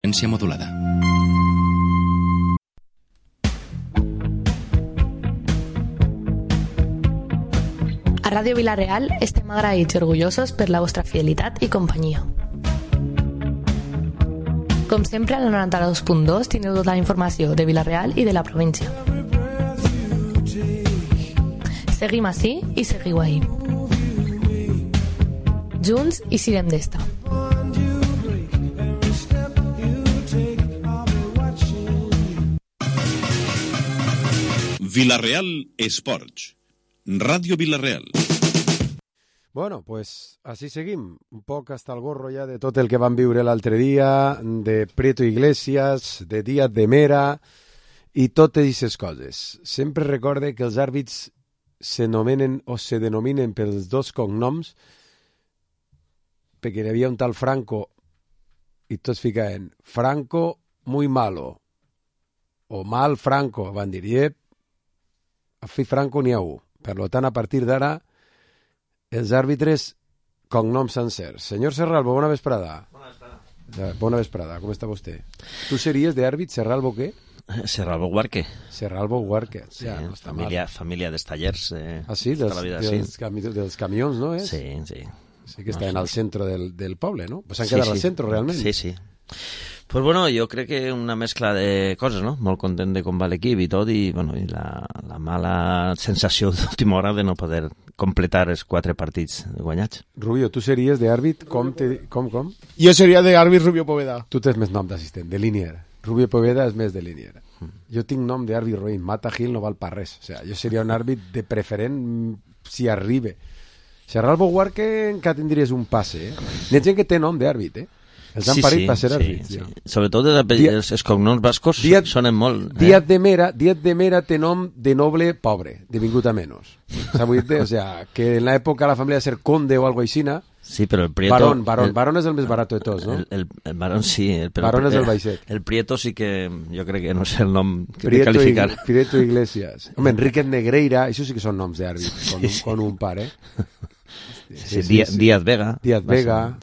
freqüència modulada. A Ràdio Vila-real estem agraïts i orgullosos per la vostra fidelitat i companyia. Com sempre, al 92.2 teniu tota la informació de Vila-real i de la província. Seguim ací i seguiu ahí. Junts i sirem d'esta. Vila-real Esports. Ràdio Vila-real. Bueno, pues así seguim. Un poc hasta el gorro ja de tot el que vam viure l'altre dia, de Prieto Iglesias, de Díaz de Mera i totes aquestes coses. Sempre recorde que els àrbits s'anomenen o se denominen pels dos cognoms perquè hi havia un tal Franco i tots ficaven Franco muy malo o mal Franco, van dir, a fi Franco n'hi ha un. Per tant, a partir d'ara, els àrbitres, cognoms sencers. Senyor Serralbo, bona vesprada. Bona vesprada. Bona vesprada, com està vostè? Tu series d'àrbit Serralbo què? Serralbo Guarque. Serralbo Guarque. Sí, ja, no està família dels tallers. Sí, dels camions, no és? Sí, sí. Sí que estaven al centre del poble, no? Pues han quedat al centre, realment. Sí, sí. Pues bueno, jo crec que una mescla de coses, no? Molt content de com va l'equip i tot, i bueno, i la mala sensació d'última hora de no poder completar els 4 partits guanyats. Rubio, tu series d'àrbit com? Jo seria d'àrbit Rubio Poveda. Tu tens més nom d'assistent, de línier. Rubio Poveda és més de línier. Jo tinc nom d'àrbit roïn. Mata Gil no val per res. O sea, jo seria un àrbit de preferent si arriba. Serralbo Guarque encara tindries un passe, N'hi ha gent que té nom d'àrbit, Els han parit per ser àrbits. Sí. Sobretot els cognoms bascos sonen molt. Díaz de Mera té nom de noble pobre, de vingut a menos. O sea, que en l'època la família de ser conde o algo aixina. Sí, però el Prieto... Barón és el més barat de tots, no? El Barón sí. Barón és el baixet. El Prieto sí que jo crec que no sé el nom que té qualificar. Prieto Iglesias. Home, Enrique Negreira, això sí que són noms d'àrbit, con un par, Sí, Díaz Vega. Díaz Vega,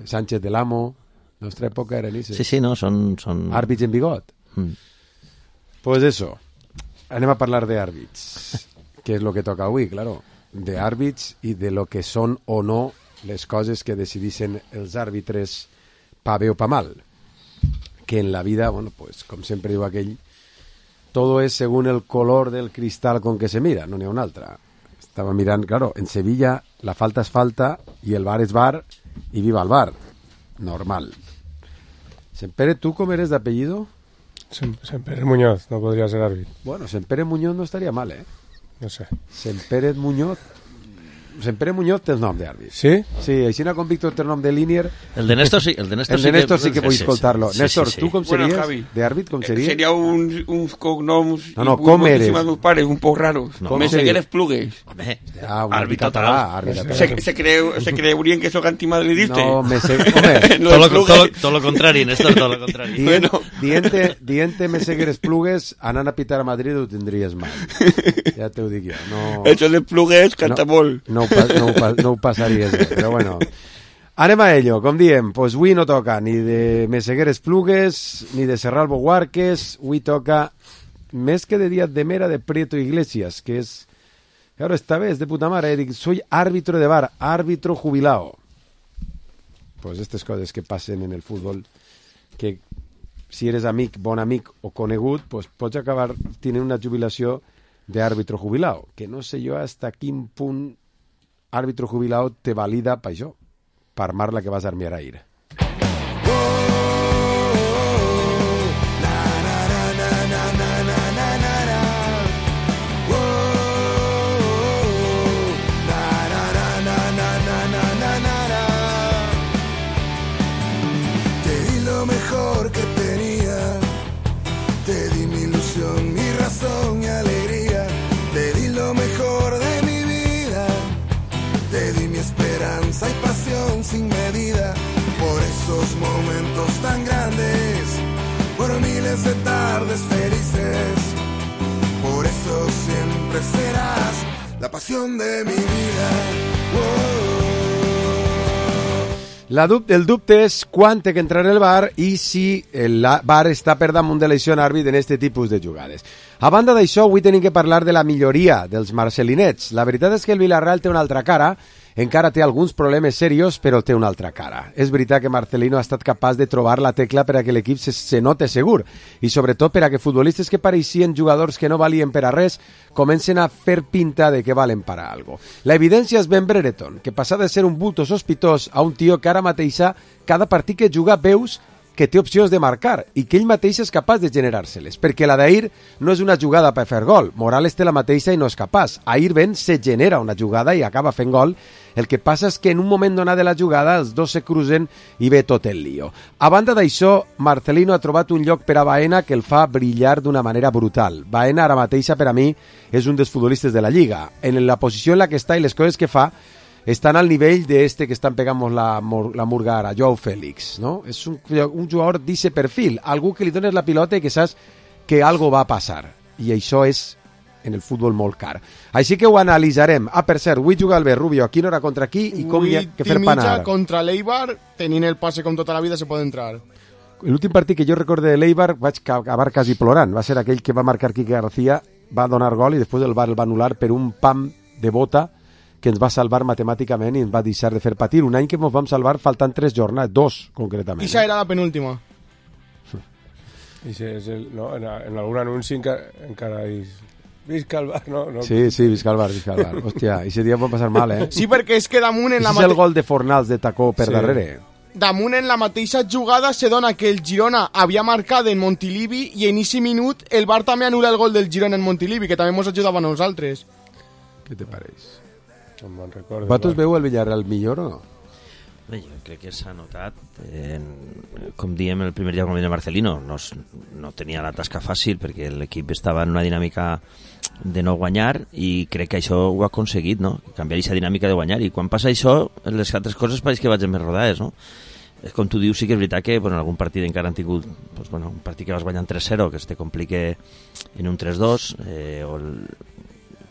Sánchez del Amo... Nostra època eren ese. Sí, no, són... Àrbits en bigot. Pues eso. Anem a parlar d'àrbits. Que és lo que toca avui, claro. D'àrbits i de lo que són o no les coses que decidissin els àrbitres pa bé o pa mal. Que en la vida, bueno, pues, com sempre diu aquell, todo es según el color del cristal con que se mira, no n'hi ha una altra. Estava mirant, claro, en Sevilla la falta és falta i el bar és bar i viva el bar. Normal. Sempere, ¿tú cómo eres de apellido? Sempere Muñoz, no podría ser árbitro. Bueno, Sempere Muñoz no estaría mal, No sé. Sempere Muñoz té el nom d'àrbit. Sí? Sí, així com Víctor té el nom de línier... El de Néstor sí. El de Néstor sí que vull escoltar-lo. Néstor, tu com series? D'àrbit, com series? Seria uns cognoms... No, com eres? Meus pares, un poc raros. Meseguer Esplugues. Home, àrbit català. Se creurien que soc antimadridista. No, Tot lo contrari, Néstor, tot lo contrari. Diente Meseguer Esplugues, anant a pitar a Madrid ho tindries mal. Ja t'ho dic jo. Això de Esplugues canta molt. No ho passaries bé, però bueno. Anem a ello, com diem, pues avui no toca ni de Meseguer Esplugues ni de Serralbo Guarques, avui toca més que de Díaz de Mera, de Prieto Iglesias, que és, claro, esta vez de puta mare, dic, soy árbitro de bar, árbitro jubilado. Pues estas coses que passen en el futbol, que si eres amic, bon amic o conegut, pues pots acabar tenint una jubilació d'àrbitro jubilado, que no sé jo hasta quin punt àrbitro jubilado te valida per això, per mar la que vas a armiar a ir. Te di lo mejor que tenía, te di mi ilusión, mi razón y alegría, te di lo mejor de mi vida, te di mi esperanza y pasión sin medida, por esos momentos tan grandes, por miles de tardes felices, por eso siempre serás la pasión de mi vida. El dubte és quan té que entrar el VAR i si el VAR està per damunt de l'acció àrbit en aquest tipus de jugades. A banda d'això, avui tenim que parlar de la milloria dels marcelinets. La veritat és que el Villarreal té una altra cara, encara té alguns problemes serios, però té una altra cara. És veritat que Marcelino ha estat capaç de trobar la tecla per a que l'equip se note segur i sobretot per a que futbolistes que pareixien jugadors que no valien per a res comencen a fer pinta de que valen per a algo. La evidència és Ben Brereton, que passa de ser un bulto sospitós a un tio que ara mateixa cada partit que juga veus que té opcions de marcar i que ell mateix és capaç de generar-se-les, perquè la d'ahir no és una jugada per fer gol. Morales té la mateixa i no és capaç. Ahir Ben se genera una jugada i acaba fent gol. El que passa és que en un moment donat de la jugada els dos se cruzen i ve tot el lío. A banda d'això, Marcelino ha trobat un lloc per a Baena que el fa brillar d'una manera brutal. Baena ara mateixa per a mi és un dels futbolistes de la Lliga. En la posició en la que està i les coses que fa estan al nivell d'este que estan pegant la murga ara, Joao Félix, no? És un jugador d'aquest perfil, algú que li dones la pilota i que saps que algo va a passar, i això és en el futbol molt car. Així que ho analitzarem. Per cert, avui juga el Rubio, a quina hora contra qui i com hi ha que fer panar. Contra l'Eibar, tenint el passe com tota la vida, se pot entrar. L'últim partit que jo recordo de l'Eibar vaig acabar quasi plorant, va ser aquell que va marcar Quique García, va donar gol i després el VAR el va anul·lar per un pam de bota que ens va salvar matemàticament i ens va deixar de fer patir. Un any que ens vam salvar faltant 3 jornades, 2 concretament. I era la penúltima. I no, en algun anunci encara dius visca el VAR, no? Sí, visca el VAR. Hòstia, aquest dia pot passar mal, eh? Sí, perquè és que damunt en la és el gol de Fornals de tacó per darrere. Damunt en la mateixa jugada se dona que el Girona havia marcat en Montilivi i en aquest minut el VAR també anul·la el gol del Girona en Montilivi, que també ens ajudava a nosaltres. Què te pareix? No me'n recordo. Vosaltres veu el Villarreal millor o no? Bé, jo crec que s'ha notat, com diem el primer dia com de Marcelino, no tenia la tasca fàcil perquè l'equip estava en una dinàmica de no guanyar i crec que això ho ha aconseguit, no? Canviar aquesta dinàmica de guanyar, i quan passa això les altres coses pareix que vagin més rodades, no? Com tu dius, sí que és veritat que en algun partit encara han tingut un partit que vas guanyant 3-0 que es te complique en un 3-2 o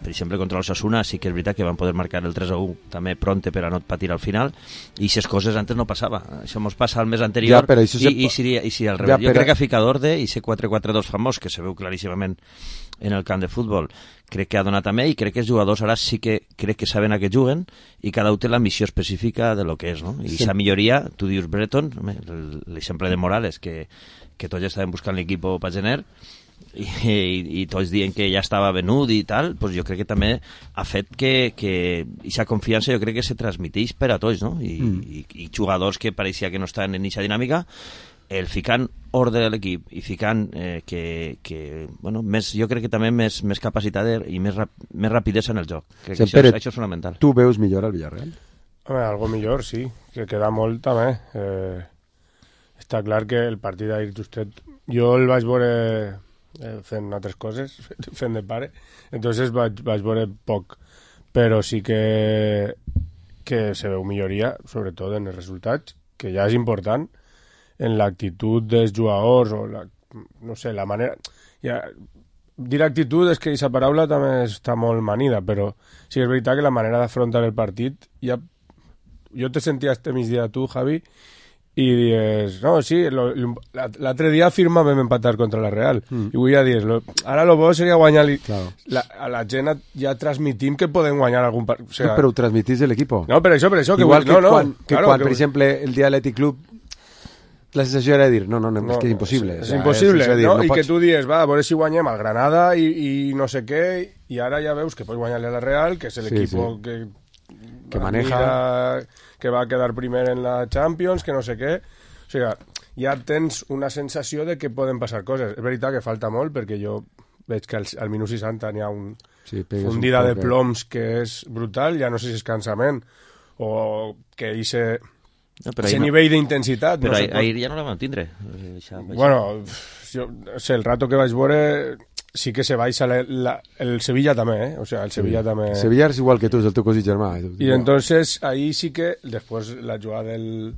per exemple contra l'Osasuna sí que és veritat que van poder marcar el 3-1 també pronte per a no patir al final, i aquestes coses antes no passava. Això ens passa al mes anterior i si al revés. Jo crec que ha ficat d'ordre i ese 4-4-2 famós que se veu claríssimament en el camp de futbol crec que ha donat també, i crec que els jugadors ara sí que crec que saben a què juguen i cada un té la missió específica de lo que és, no? I aquesta milloria, tu dius Brereton, l'exemple de Morales que tots ja estaven buscant l'equip per gener i tots dient que ja estava venut i tal, doncs jo crec que també ha fet que aquesta confiança jo crec que se transmiteix per a tots, no? I jugadors que pareixia que no estaven en aquesta dinàmica, el ficant ordre a l'equip i ficant jo crec que també més capacitat i més rapidesa en el joc. Crec que això és fonamental. Tu veus millor al Villarreal? Home, algo millor, sí, que queda molt també. Està clar que el partit d'ahir justet jo el vaig veure fent altres coses, fent de pare, entonces vaig veure poc, però sí que se veu milloria, sobretot en els resultats, que ja és important, en l'actitud dels jugadors o la manera... Dir actitud és que aquesta paraula també està molt manida, però sí que és veritat que la manera d'afrontar el partit ja... Jo te sentia este migdia tu, Javi, i dius, no, sí, l'altre dia firma vam empatar contra la Real, i avui ja dius, ara lo bo seria guanyar a la gent ja transmitim que podem guanyar algun partit, o sea, però ho transmitís l'equip. No, per això igual que quan per exemple el dia de l'Athletic Club la sensació era dir, no, és que és impossible. És impossible, no? I que tu dius, va, a veure si guanyem al Granada i no sé què, i ara ja veus que pots guanyar-li a la Real, que és l'equip que maneja, que va quedar primer en la Champions, que no sé què. O sigui, ja tens una sensació de que poden passar coses. És veritat que falta molt, perquè jo veig que al minut 60 n'hi ha un fundida de ploms que és brutal, ja no sé si és cansament o que ese nivell d'intensitat. Però ahir ja no la vam tindre. Bueno, el rato que vaig veure... sí que se baixa el Sevilla també, o sea, el Sevilla també... Sevilla és igual que tu, és el teu cosí germà. I entonces ahí sí que després la jugada del...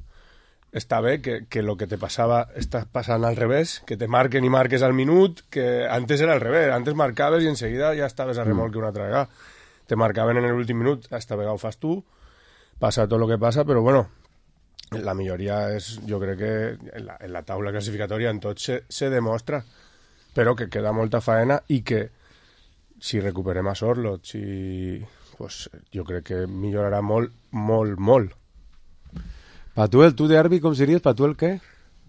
està bé, que lo que te passava està passant al revés, que te marquen i marques al minut, que antes era al revés, antes marcaves i enseguida ja estaves a remolque una altra vegada. Te marcaven en l'últim minut, esta vegada ho fas tu, passa tot el que passa, però bueno, la milloria és, jo crec que en la taula classificatòria en tot se demostra, però que queda molta faena i que si recuperem a Sorloth, pues, jo crec que millorarà molt, molt, molt. Patuel, tu d'àrbit com series? Patuel què?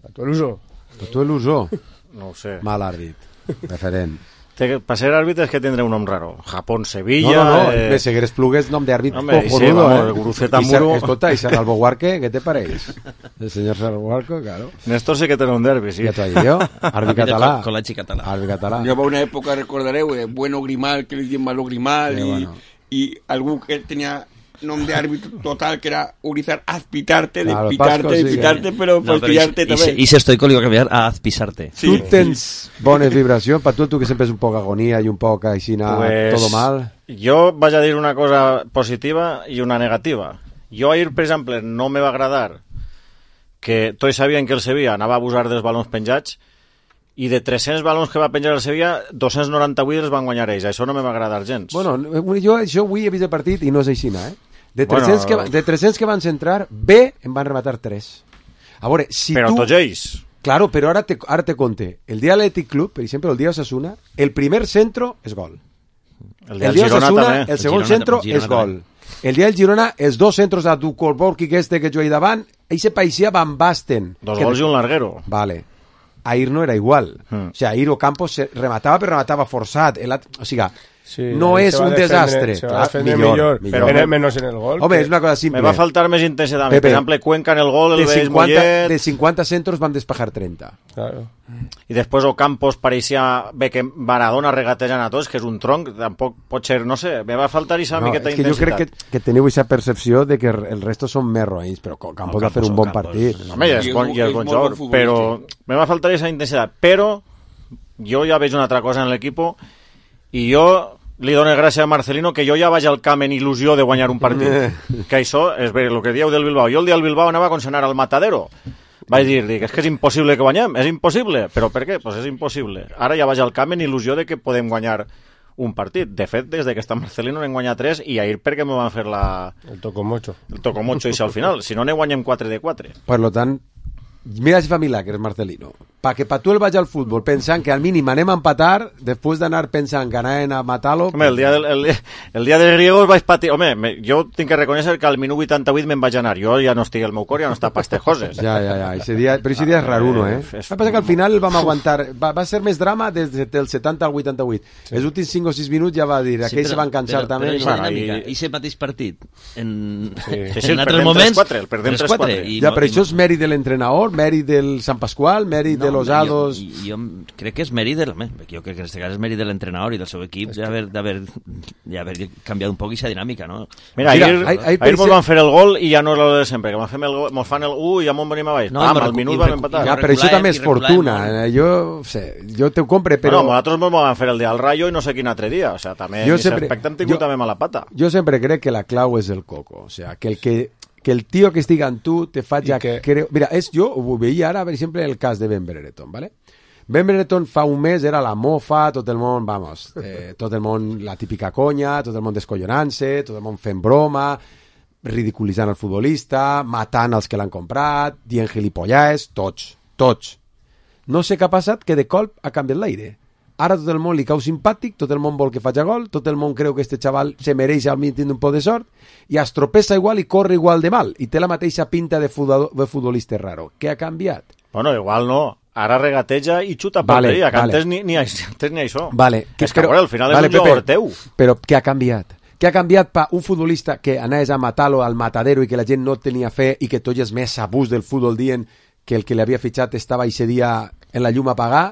Patuel Usó. Patuel Usó. No ho sé. Mal àrbit. Referent. Per ser àrbit és que tindré un nom raro. Japón, Sevilla... No, Meseguer Esplugues, nom d'àrbit cojonudo, Guruceta Muro... Escolta, ¿y Serralbo Huarque? ¿Qué te pareix? El señor Serralbo Huarque, claro. Néstor sí que té un derbi, sí. Ja t'ho dic jo. Àrbit català. Col·legi català. Àrbit català. Jo va una època, recordareu, Bueno Grimal, que li diuen Malo Grimal, i algú que tenia nom d'àrbit total, que era Urizar Azpitarte, de Claro, pitarte, però per pillarte també. I si estoico li va canviar a Azpisarte. Sí. Tu tens bones vibracions, Patuel, tu que sempre és un poc agonia i un poc aixina, todo mal. Jo vaig a dir una cosa positiva i una negativa. Jo ahir, per exemple, no me va agradar que tots sabien que el Sevilla anava a abusar dels balons penjats i de 300 balons que va penjar el Sevilla, 298 els van guanyar ells. Això no me va agradar gens. Bueno, jo avui he vist el partit i no és aixina, De 300 que van centrar, bé, en van rematar 3. A veure, si però tu... tots ells. Claro, però ara te conte. El dia Athletic Club, per exemple, el dia Osasuna, el primer centro és gol. El dia Girona Osasuna, també. El segon centro és gol. El dia del Girona, els dos centros de Dukolborki, que que jo he davant, ell se paeixia Van Basten. 2 gols i un larguero. Vale. Ahir no era igual. O sea, ahir Ocampos rematava, però rematava forçat. O sigui, no és un desastre. Se va defendre millor. Però menos en el gol. Home, és una cosa simple. Me va faltar més intensitat. Per exemple, Cuenca en el gol, el veig Mollet... De 50 centros van despejar 30. Claro. I després Ocampos pareixia bé que Maradona regatejant a tots, que és un tronc, tampoc pot ser, no sé, me va faltar aquesta miqueta intensitat. És que jo crec que teniu aquesta percepció de que el resto són més roïns, però Ocampos va fer un bon partit. Home, i és bon jugador, però me va faltar aquesta intensitat. Però jo ja veig una altra cosa en l'equip i jo li dono gràcies a Marcelino que jo ja vaig al camp en il·lusió de guanyar un partit. Que això és bé, el que dieu del Bilbao. Jo el dia del Bilbao anava com si anara al Matadero. Vaig dir, és que és impossible que guanyem, és impossible. Però per què? Pues és impossible. Ara ja vaig al camp en il·lusió de que podem guanyar un partit. De fet, des que està Marcelino n'hem guanyat 3 i ahir perquè me van fer el tocomocho. El tocomocho i al final. Si no, ne guanyem 4 de 4. Per lo tant, mira si fa milagres Marcelino. Que Patuel vagi al futbol pensant que al mínim anem a empatar, després d'anar pensant que anem a matar-lo... Home, el dia de griegos vaig patir... Home, jo tinc que reconèixer que al minut 88 me'n vaig anar. Jo ja no estic al meu cor, ja no està pas tejoses. Ja. Però ese dia és raruno, Va passar que al final el vam aguantar. Va ser més drama des del 70 al 88. Sí. Els últims 5 o 6 minuts ja va dir, aquells se van cansar també. Però dinàmica, i se mateix partit en altres moments... El perdem 3-4. Ja, però això és mèrit de l'entrenador, mèrit del Sant Pasqual, mèrit de los Ados... Jo crec que és mèrit jo crec que en aquest cas és mèrit de l'entrenador i del seu equip d'haver canviat un poc aquesta dinàmica, no? Mira, ahir mos van fer el gol i ja no és el de sempre, que mos fan el 1 i ja mos venim a baix. Al minut vam empatar. Ja, però això també és fortuna. Jo te ho compre, però... No, nosaltres mos van fer el dia al Rayo i no sé quin altre dia. O sea, també en aquest aspecte hem tingut també mala pata. Jo sempre crec que la clau és el coco. O sea, que el tío que estiga en tu te faig creu... Mira, jo ho veia ara, per exemple, el cas de Ben Brereton, ¿vale? Ben Brereton fa un mes era la mofa, tot el món, tot el món, la típica conya, tot el món descollonant-se, tot el món fent broma, ridiculitzant el futbolista, matant els que l'han comprat, dient gilipollades, tots. No sé què ha passat, que de colp ha canviat l'aire. Ara tot el món li cau simpàtic, tot el món vol que faci gol, tot el món creu que este xaval se mereix almenys tindre un poc de sort, i es tropessa igual i corre igual de mal, i té la mateixa pinta de futbolista raro. Què ha canviat? Bueno, igual no. Ara regateja i xuta porteria, que antes ni això. Vale. És que al final és un jugador teu. Però què ha canviat? Què ha canviat per un futbolista que anaves a matar-lo al matadero i que la gent no tenia fe i que tots els més abús del futbol dient que el que l'havia fitxat estava aquest dia en la llum a pagar?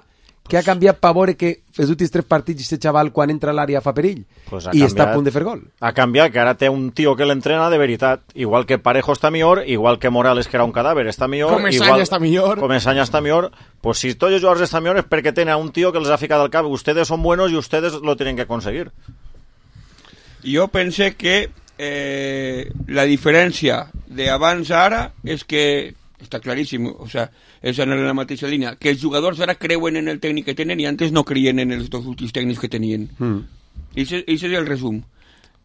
Què ha canviat per veure que els últims 3 partits aquest xaval quan entra a l'àrea fa perill? I està a punt de fer gol. Ha canviat, que ara té un tio que l'entrena de veritat. Igual que Parejo està millor, igual que Morales, que era un cadàver, està millor. Comesaña està millor. Comesaña està millor. Pues si tots els jugadors estan millor és perquè tenen un tio que els ha ficat al cap. Ustedes son buenos y ustedes lo tienen que conseguir. Jo pense que la diferència d'abans a ara és que està claríssim, o sea, és en la mateixa línia, que els jugadors ara creuen en el tècnic que tenen i antes no creien en els dos últims tècnics que tenien. I això és el resum.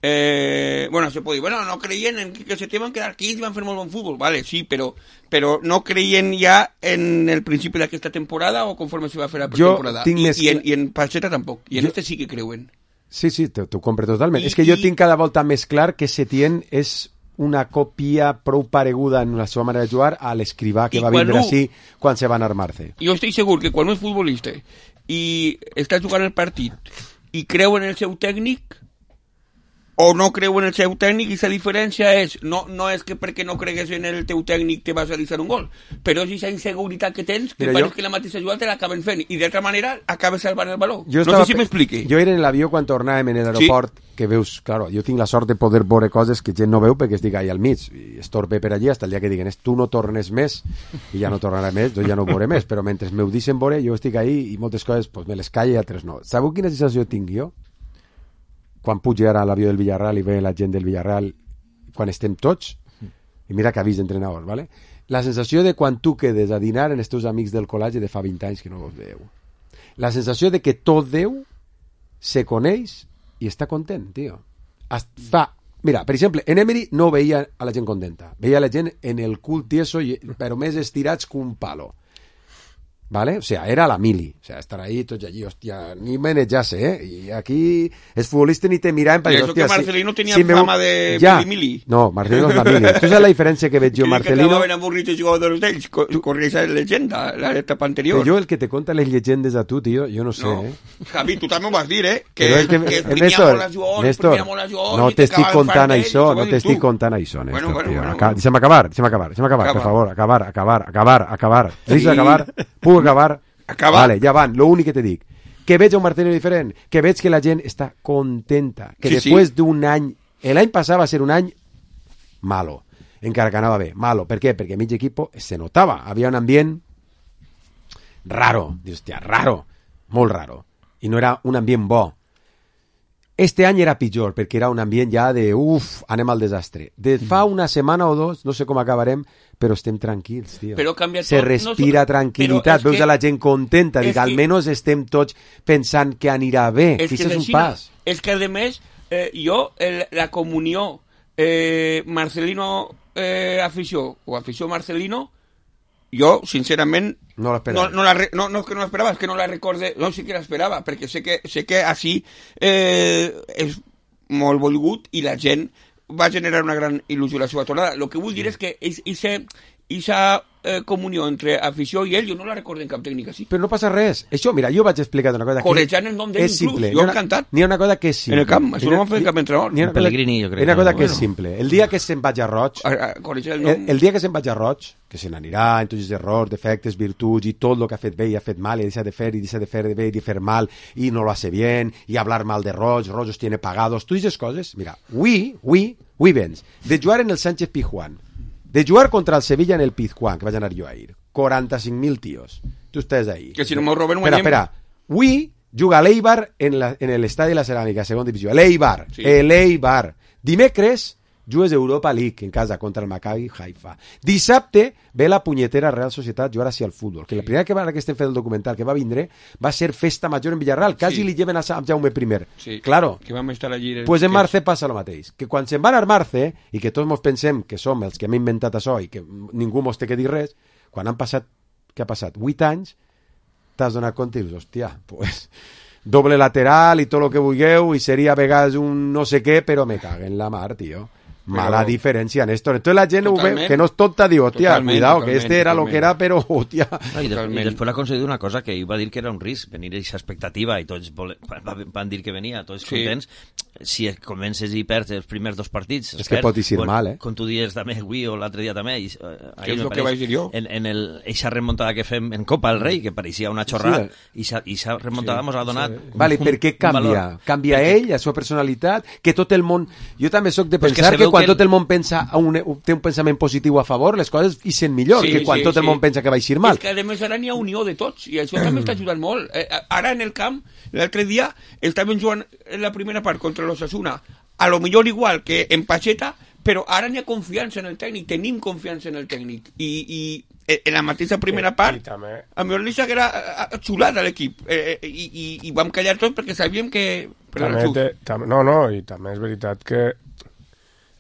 bueno, se pot dir, bueno, no creien en que se van quedar quins i van fer molt bon futbol, vale, sí, però no creien ja en el principi d'aquesta temporada o conforme se va fer la pretemporada. I en Pacheta tampoc, i en este sí que creuen. Sí, t'ho compre totalment. És que jo tinc cada volta més clar que Setién és una còpia prou pareguda en la seva manera de jugar a l'escrivà que va vindre així quan se van armar-se. Jo estic segur que quan un és futbolista i està jugant el partit i creu en el seu tècnic o no creu en el seu tècnic, i la diferència és no és que perquè no cregues en el teu tècnic te vas a realitzar un gol, però és aquesta inseguretat que tens que pareix que la mateixa jugada te l'acaben fent i d'altra manera acabes salvant el baló. No sé si m'expliqui. Jo era en l'avió quan tornàvem en l'aeroport, que veus, claro, jo tinc la sort de poder veure coses que gent no veu perquè estic allà al mig i estorbe per allí fins el dia que diguen tu no tornes més i ja no tornarà més, jo ja no ho veuré més, però mentre m'ho deixen veure jo estic ahí i moltes coses pues, me les calle i altres no. Sabeu quina sensació tinc jo? Quan puja ara a l'avió del Villarreal i ve la gent del Villarreal quan estem tots, i mira que avís d'entrenador, ¿vale? La sensació de quan tu quedes a dinar en els teus amics del col·legi de fa 20 anys que no vos veieu. La sensació de que tot Déu se coneix i està content, tio. Mira, per exemple, en Emery no veia a la gent contenta, veia la gent en el cul tieso, però més estirats que un palo. ¿Vale? O sea, era la mili. O sea, estar ahí, tots allí, hostia, ni menejase, Y aquí els futbolistes ni te miraven per dir, hostia, que Marcelino tenia fama de mili. No, Marcelino és la mili. Tu saps la diferència que veig jo, Marcelino? Que acabaven avorrits els jugadors d'ells, corria esa llegenda, l'etapa anterior. Però jo el que te conta les llegendes a tu, tio, jo no sé, Javi, tu també ho vas dir, Que Néstor, no t'estic contant això, Néstor. Deixa'm acabar, per favor, acabar. Deixa'm acabar. Puc acabar? Vale, ja van, l'únic que te dic que veig un Marcelino diferent, que veig que la gent està contenta, que després d'un any, l'any passat va ser un any malo, encara que anava bé, malo, per què? Perquè mig equip se notava, havia un ambient raro, raro, molt raro, i no era un ambient bo. Este any era pitjor, perquè era un ambient ja de anem al desastre. De fa una setmana o dos, no sé com acabarem, però estem tranquils, tio. Se respira tranquil·litat, veus a la gent contenta, dic, almenys estem tots pensant que anirà bé, que això és un pas. És que, a més, jo, la comunió Marcelino afició, o afició Marcelino, jo, sincerament, no l'esperava. No és que no l'esperava, és que no la recorde, no, sí que l'esperava, perquè sé que així és molt volgut i la gent va generar una gran il·lusió a la seva tornada. El que vull dir és que aquesta comunió entre afició i ell, jo no la recordo en cap tècnica així. Però no passa res. Això, mira, jo vaig explicar una cosa corejant el nom d'ell inclús, jo he encantat. N'hi ha una cosa que és simple. En el camp, això no m'ha fet cap entrenador. Pellegrini, jo crec. Hi ha una cosa que és simple. El dia que se'n vaig a Roig, el dia que se'n vaig a Roig, que se n'anirà en tots els errors, defectes, virtuts i tot el que ha fet bé i ha fet mal i deixa de fer i deixa de fer bé i de fer mal i no lo hace bien i hablar mal de Roig, Roig os tiene pagados, totes aquestes coses, mira, avui vens de jugar en el Sánchez Pizjuán, de jugar contra el Sevilla en el Pizjuán, que vaig anar jo a ir, 45.000 tios, tu estàs ahí. Que si no m'ho roben guanyem. Espera, avui juga l'Eibar en l'estadi de la Ceràmica, segona divisió, l'Eibar. Dimecres jugues Europa League en casa contra el Maccabi Haifa. Dissabte ve la punyetera Real Societat jugar així al futbol, que la primera que estem fent el documental que va vindre va ser festa major en Villarreal, quasi li lleven a Jaume I. Sí, claro, que vam estar allí. Pues en Marce passa el mateix, que quan se'n van a Marce i que tots mos pensem que som els que hem inventat això i que ningú mos té que dir res, quan han passat, què ha passat? 8 anys, t'has donat compte i dius, hòstia, pues doble lateral i tot el que vulgueu i seria a vegades un no sé què, però me caguen la mar, tio. Mala diferència, Néstor. Entonces la gent ho ve, que no és tonta, diu, hòstia, cuidado, que este era lo que era, però, hòstia. I després ha aconseguit una cosa que ell va dir que era un risc, venir a aquesta expectativa, i tots van dir que venia, tots contents. Si comences i perds els primers 2 partits... És que pot eixir mal, Com tu dies també avui o l'altre dia també... Que és el que vaig dir jo. En eixa remuntada que fem en Copa del Rei, que pareixia una xorrada, i s'ha remuntada ens ha donat... Vale, per què canvia? Canvia ell, la seva personalitat, que tot el món... Jo també soc de pensar que quan tot el món pensa té un pensament positiu a favor, les coses ixen millor que quan tot el món pensa que va eixir mal. És que a més ara n'hi ha unió de tots i això també està ajudant molt. Ara en el camp, l'altre dia estàvem jugant en la primera part contra l'Osasuna, a lo millor igual que en Pacheta, però ara n'hi ha confiança en el tècnic, tenim confiança en el tècnic i en la mateixa primera part a mi li s'haguera xulat a l'equip i vam callar tots perquè sabíem que I també és veritat que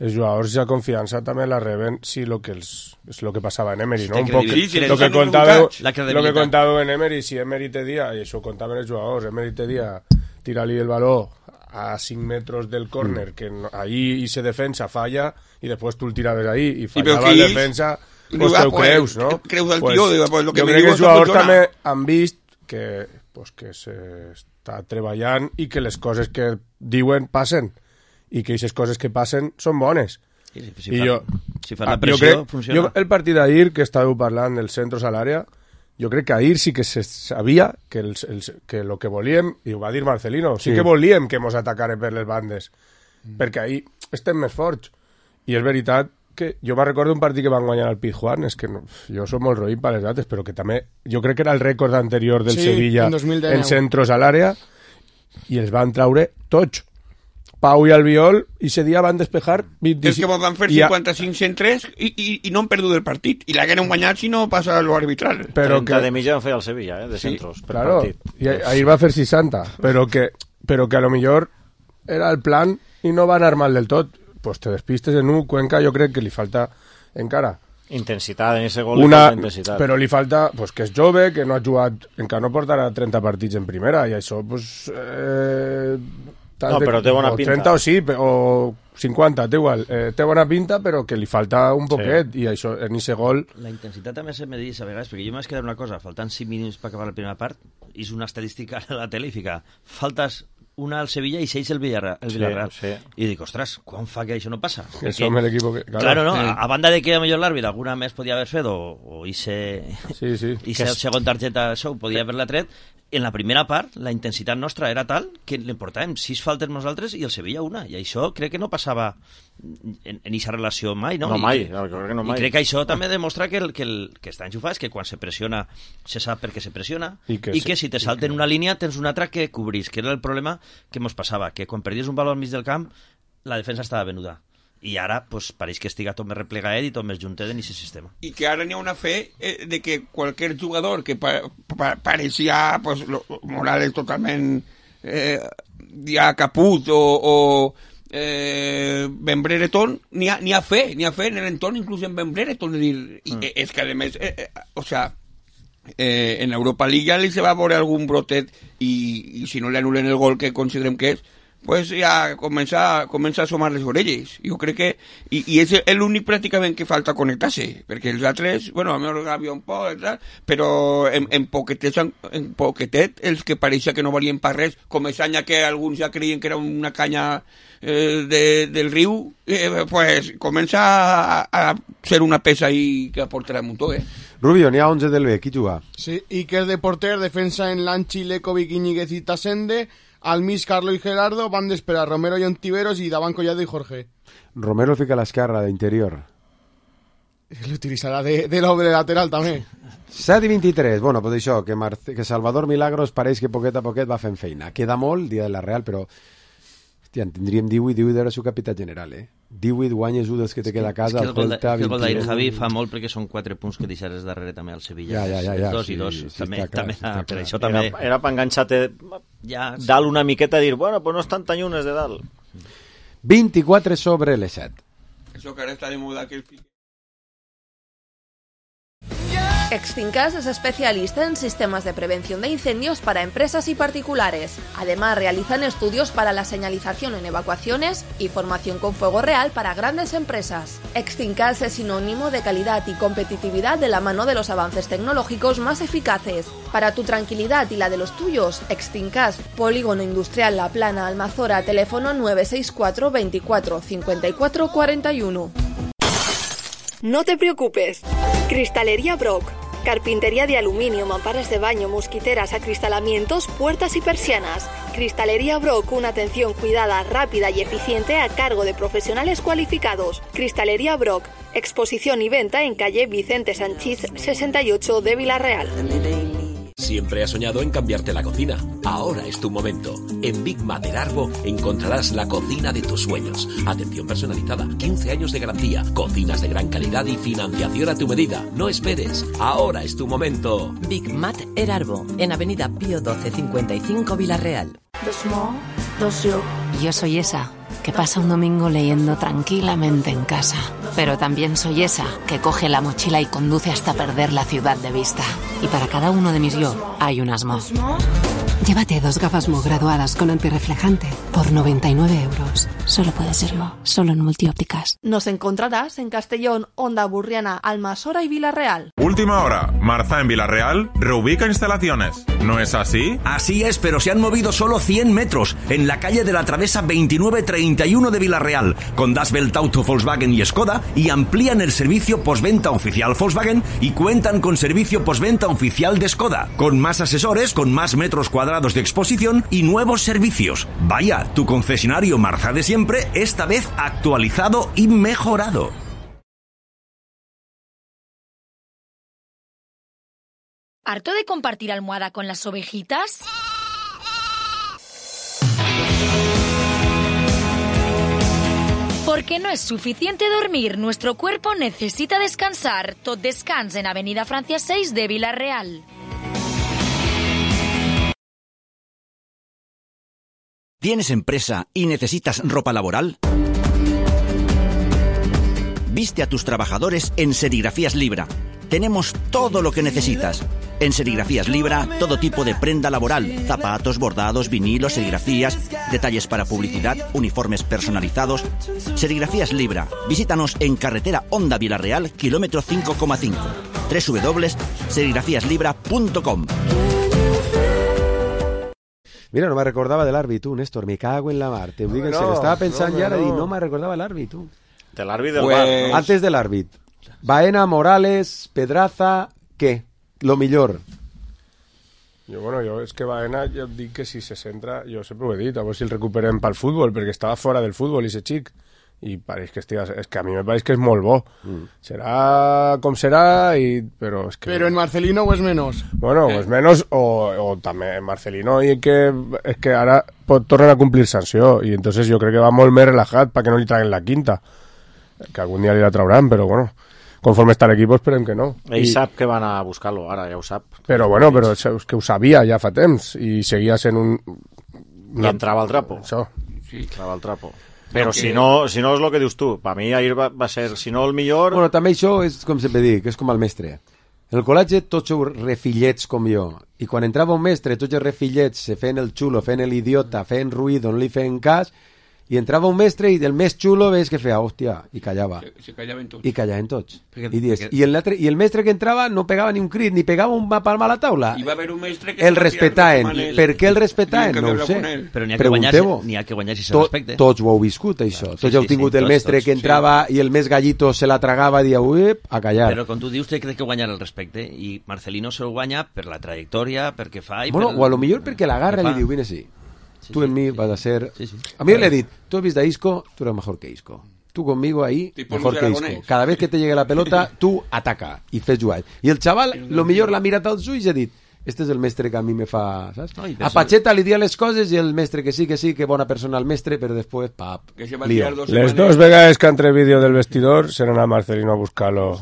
els jugadors ja confiança també la reben si és el que passava en Emery, no? Un poc el que contàveu en Emery, si Emery te dia, i això ho contaven els jugadors, Emery te dia, tira-li el baló a 5 metres del córner, que ahí se defensa, falla, i després tu el tiraves ahí, i fallava la defensa, pues te ho creus, no? Creus el tio, jo crec que els jugadors també han vist que s'està treballant i que les coses que diuen passen, i que aquestes coses que passen són bones. Si fa la pressió, funciona. El partit d'ahir, que estàveu parlant dels centres a l'àrea, jo crec que ahir sí que se sabia que el que volíem, i ho va dir Marcelino, sí que volíem que mos atacaren per les bandes, perquè ahir estem més forts. I és veritat que jo me'n recordo un partit que van guanyar al Pizjuán, és que jo soc molt roïn per les dates, però que també, jo crec que era el rècord anterior del Sevilla en centros a l'àrea, i els van traure tots. Pau i Albiol, i ese dia van despejar 25... És que van fer 55 centres i no han perdut el partit. I l'hagueren guanyat si no passa l'arbitral. 30 de mitja van fer el Sevilla, de centros, per partit. I ahir va fer 60, però que a lo millor era el plan i no va anar mal del tot. Pues te despistes en un Cuenca, jo crec que li falta encara intensitat en ese gol, intensitat. Però li falta pues, que és jove, que no ha jugat, encara no portarà 30 partits en primera, i això pues, però té bona pinta. 30 o sí, o 50, té igual. Té bona pinta, però que li falta un poquet, i això, en aquest gol... La intensitat també se me diu a vegades, perquè jo m'he quedat una cosa, faltant 5 minuts per acabar la primera part, és una estadística a la tele i fica, faltes una al Sevilla i 6 el Villarreal. Sí. I dic, ostres, quan fa que això no passa? Que som l'equip que... Claro, no, a banda de que a millor l'àrbit alguna més podia haver fet, o ese segon targeta això ho podia haver-la tret, en la primera part la intensitat nostra era tal que li portàvem 6 faltes nosaltres i el Sevilla una, i això crec que no passava en aquesta relació mai, no? Crec que no mai. I crec que això també demostra que està enxufat, que quan se pressiona se sap per què se pressiona, i que si te salten una línia tens una altra que cobrís, que era el problema que ens passava, que quan perdies un valor al mig del camp la defensa estava venuda. I ara pues, pareix que estiga tot més replegadet i tot més juntet en aquest sistema. I que ara n'hi ha una fe de que qualsevol jugador que pareixia pues, Morales totalment ja caput o Ben Brereton, n'hi ha fe en l'entorn, inclús en Ben Brereton, és que a més en Europa League ja li se va veure algun brotet i si no li anulen el gol que considerem que és, pues ja comença a assomar les orelles. Jo crec que i és l'únic pràcticament que falta connectar-se, perquè els altres, bueno, a mi havia un poc, però en poquetet els que pareixia que no valien per res, com és any que alguns ja creien que era una canya del riu, pues comença a ser una peça i que aportarà un muntó, Rubio, n'hi ha 11 del B, qui juga? Sí, Iker de porter, defensa en Lanchi, Lekovic, Íñiguez i Tasende. Al mig, Carlo y Gerardo, van d'esperar Romero y Ontiveros y davant Collado y Jorge. Romero fica a l'esquerra d'interior. L'utilitzarà de doble lateral també. 7 i 23, bueno, pues això, que Salvador Milagros pareix que poquet a poquet va fent feina. Queda molt, dia de la Real, però hòstia, en tindríem 18 era su capità general, 18 guanyes un dels que te queda a casa. El gol d'ahir, Javi, fa molt perquè són 4 punts que deixaràs darrere també al Sevilla. Ja. 2 i 2. També, per això també... Era per enganxar-te dalt una miqueta i dir, bueno, pues no estan tan llunes de dalt. 24 sobre les 7. Això que ara està de moda que el fique. Extincas es especialista en sistemas de prevención de incendios para empresas y particulares. Además, realizan estudios para la señalización en evacuaciones y formación con fuego real para grandes empresas. Extincas es sinónimo de calidad y competitividad de la mano de los avances tecnológicos más eficaces. Para tu tranquilidad y la de los tuyos, Extincas, Polígono Industrial La Plana, Almazora, teléfono 964 24 54 41. No te preocupes. Cristalería Brock. Carpintería de aluminio, mamparas de baño, mosquiteras, acristalamientos, puertas y persianas. Cristalería Brock, una atención cuidada, rápida y eficiente a cargo de profesionales cualificados. Cristalería Brock, exposición y venta en calle Vicente Sanchís 68 de Villarreal. Siempre has soñado en cambiarte la cocina. Ahora es tu momento. En Big Mater Arbo encontrarás la cocina de tus sueños. Atención personalizada, 15 años de garantía, cocinas de gran calidad y financiación a tu medida. No esperes. Ahora es tu momento. Big Mater Arbo, en Avenida Pío 12 55 Villarreal. The small d'ocio. Yo soy esa que pasa un domingo leyendo tranquilamente en casa. Pero también soy esa que coge la mochila y conduce hasta perder la ciudad de vista. Y para cada uno de mis yo hay un Asmo. Llévate 2 gafas Mo graduadas con antirreflejante por 99 €. Solo puede ser Mo, solo en Multiópticas. Nos encontrarás en Castellón, Onda Burriana, Almasora y Villarreal. Última hora. Marza en Villarreal reubica instalaciones. ¿No es así? Así es, pero se han movido solo 100 metros en la calle de la Travesa 2931 de Villarreal, con Das Welt Auto, Volkswagen y Skoda, y amplían el servicio postventa oficial Volkswagen y cuentan con servicio postventa oficial de Skoda, con más asesores, con más metros cuadrados de exposición y nuevos servicios. Vaya, tu concesionario Marza de siempre, esta vez actualizado y mejorado. ¿Harto de compartir almohada con las ovejitas? Porque no es suficiente dormir, nuestro cuerpo necesita descansar. Tot Descans en Avenida Francia 6 de Villarreal. ¿Tienes empresa y necesitas ropa laboral? Viste a tus trabajadores en Serigrafías Libra. Tenemos todo lo que necesitas. En Serigrafías Libra, todo tipo de prenda laboral, zapatos, bordados, vinilos, serigrafías, detalles para publicidad, uniformes personalizados. Serigrafías Libra. Visítanos en carretera Onda Villarreal, kilómetro 5,5. www.serigrafíaslibra.com. Mira, no me recordava de l'àrbit, tu, Néstor, me cago en la mar. Te ho dic en serio. Estava pensant ja i no me recordava l'àrbit, tu. De l'àrbit del bar, no? Antes de l'àrbit. Baena, Morales, Pedraza, què? Lo millor. Jo és que Baena, jo dic que si se centra, jo sempre ho he dit, a veure si el recuperem pel futbol, perquè estava fora del futbol, i ese xic. I pareix que és que a mi me pareix que és molt bo. Serà com serà, però és que... Però en Marcelino o és menys? Bueno, o és menys, o també en Marcelino, i és que ara tornen a complir sanció, i entonces jo crec que va molt més relajat perquè no li traguen la quinta, que algun dia li la trauran, però bueno, conforme està l'equip esperem que no. Ell sap que van a buscar-lo, ara ja ho sap. Però bueno, però és que ho sabia ja fa temps, i seguia sent un... I entrava al trapo. Això. Sí. Entrava al trapo. Però si no és el que dius tu, per mi ahir va ser, si no el millor... Bueno, també això és com sempre dic, és com el mestre. En el col·legi tots sou refillets com jo, i quan entrava un mestre tots els refillets se feien el xulo, feien l'idiota, feien ruïdo, no li feien cas, i entrava un mestre i del més xulo veus que feia, hòstia, i callava. Se callaven tots. I callaven tots. I el mestre que entrava no pegava ni un crit, ni pegava un palma a la taula. I va haver un mestre que... El respetaven. Per què el respetaven? No ho sé. Però n'hi ha que guanyar si se respecte. Tots ho heu viscut, això. Tots heu tingut el mestre que entrava i el més gallito se la tragava i dia, a callar. Però com tu dius, té que guanyar el respecte, i Marcelino se lo guanya per la trajectòria, perquè fa... Bueno, o a lo millor perquè l'agarra i li diu, vine així. Tú en mí vas a ser... A mí le he dicho, tú has visto a Isco, tú eres mejor que Isco. Tú conmigo ahí, mejor que Isco. Cada vez que te llegue la pelota, tú ataca y fes jugar. Y el chaval, lo millor l'ha mirat als ulls i ha dit, este és el mestre que a mi me fa... Saps? A Pacheta li dia les coses i el mestre que sí, que bona persona el mestre, però després, pap, lío. Les dos vegades que entre vídeo del vestidor se n'ha Marcelino a buscar-lo.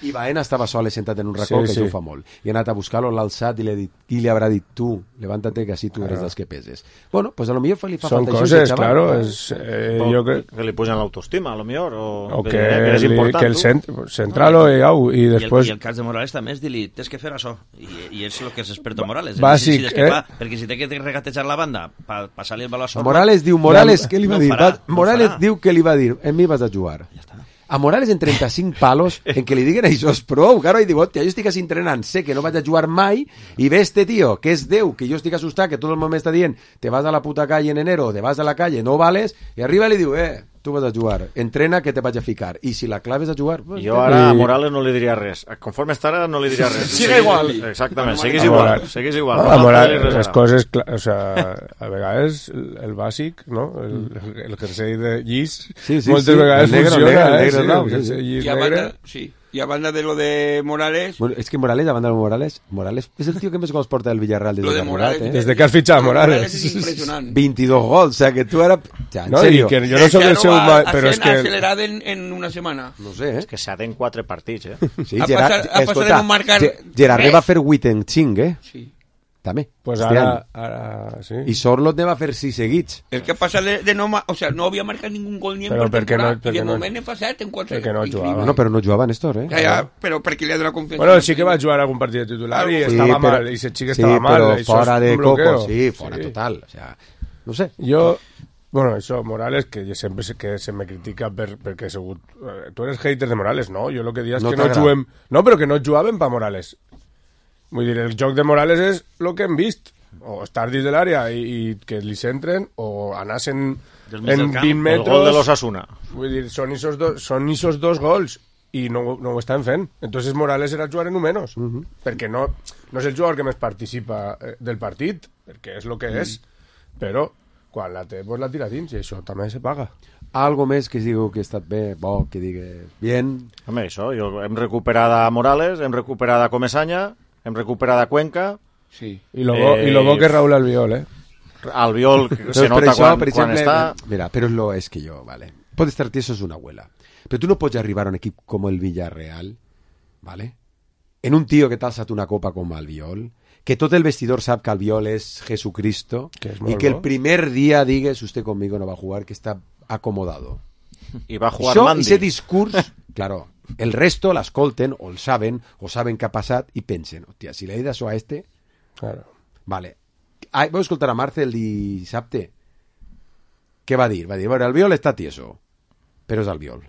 I Baena estava sol sentat en un racó, que això ho fa molt. I ha anat a buscar-lo, l'ha alçat i li haurà dit, tu, levántate que així tu eres dels que peses. Bueno, pues a lo millor li fa Son falta coses, això. claro. Jo crec que li pugen l'autoestima, a lo millor. O que el centralo i després... I el cas de Morales també és dir-li, tens que fer això. I és el que és experto Morales. Bàsic, perquè si té que regatejar la banda per passar-li el baló a sobre... Morales, què li va dir? Morales diu que li va dir, en mi vas a jugar. Ja està. A Morales en 35 palos, en que li diguen això és prou, claro, i diu, hòstia, jo estic entrenant, sé que no vaig a jugar mai, i ve este tío, que és Déu, que jo estic assustat, que tot el món m'està dient, te vas a la puta calle en enero, te vas a la calle, no vales, i arriba i li diu, tu vas a jugar, entrena que te vaig a ficar, i si la clave és a jugar... Pues, jo ara a Morales no li diria res, conforme està ara no li diria res. Sigue igual. Exactament, seguís igual. A Morales, les coses, o sea, a vegades el bàsic, no? El jersei de llis, moltes vegades funciona, Y a banda de lo de Morales... Bueno, es que Morales, a banda de Morales es el tío que més gols porta del Villarreal desde que ha jugat, Desde que has fichado a Morales. Es impresionante. 22 gols, o sea, que tú era... En no, serio. Que yo no soy el seu... Pero es que... Acelerado en una semana. No sé, És que s'ha d'en 4 partits, Sí, Gerard va fer 8 en 5, Sí. també. Pues este ara any. sí. I Sorlot ne va fer 6 seguits. El que passa de no... O sea, no havia marcat ningún gol ni en Però perquè temporada. no- I de perquè no- moment en fa 7 en 4. perquè no jugava. No, però no jugava Néstor, Ja, però perquè li ha donat confiança. Bueno, sí que va jugar algun partit de titular i estava mal, i ese xic estava mal. però Això fora és de un bloqueo. coco, sí, fora total. O sea, no sé. Jo, bueno, això, Morales, que jo sempre sé que se me critica perquè he sigut... Tu eres hater de Morales, no? Jo el que dic és No que no t'agrada. juguem... No, però que no jugaven pa Morales. Vull dir, el joc de Morales és el que hem vist. O estar dins de l'àrea i que li centren, o anar-se'n Del mig del en camp, 20 el metres... gol de l'Osasuna. Vull dir, són isos dos gols i no ho estan fent. Entonces Morales era jugar en un menos, perquè no és el jugador que més participa del partit, perquè és el que és, però quan la té, pues la tira dins, i això també se paga. Algo més que diu que ha estat bé, bo, que digui bien. Home, això, hem recuperat a Morales, hem recuperat a Comesaña, hem recuperat a Cuenca. Sí. I lo bo que és Raúl Albiol, Albiol se nota quan està... Mira, pero es que yo, vale. Puede estar tieso es una abuela. Pero tú no puedes arribar a un equipo como el Villarreal, ¿vale? En un tío que t'ha alçat una copa com Albiol, que tot el vestidor sap que Albiol és Jesucristo, y que el primer día digues, usted conmigo no va a jugar, que está acomodado. I va jugar Això, Mandy. ese discurs, claro, el resto l'escolten, o el saben què ha passat, i pensen, hòstia, si le he dit això a este... Claro. Vale. Vau escoltar a Marce el dissabte? Què va dir? Va dir, bueno, Albiol està tieso, però és Albiol.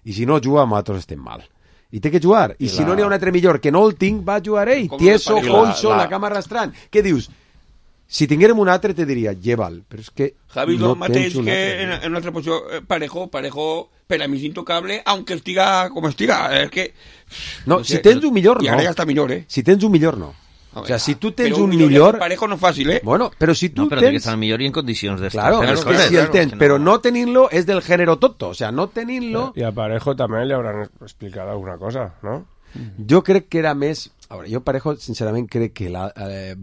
I si no juga, nosaltres estem mal. I té que jugar. I si no n'hi ha un altre millor que no el tinc, va jugar ell. Tieso, coixo, la cama arrastrant. Què dius? Si tinguérem un altre, te diria, lleva'l. Però és que Javi, no lo mateix tens un que altre. en una altra posició, Parejo, per a mi és intocable, aunque estiga com estiga. És que... No, si tens un millor, no. I ara ja està millor, Si tens un millor, no. O sea, si tu tens Però un millor... Parejo no és fàcil, Bueno, però si tu No, però tens... que estar millor i en condicions d'estar. Claro, Pero es que si el tens, però no tenint-lo és del género tonto. O sea, no tenint-lo... I a Parejo també li hauran explicat alguna cosa, no? Jo crec que era més... A veure, jo Parejo, sincerament, crec que va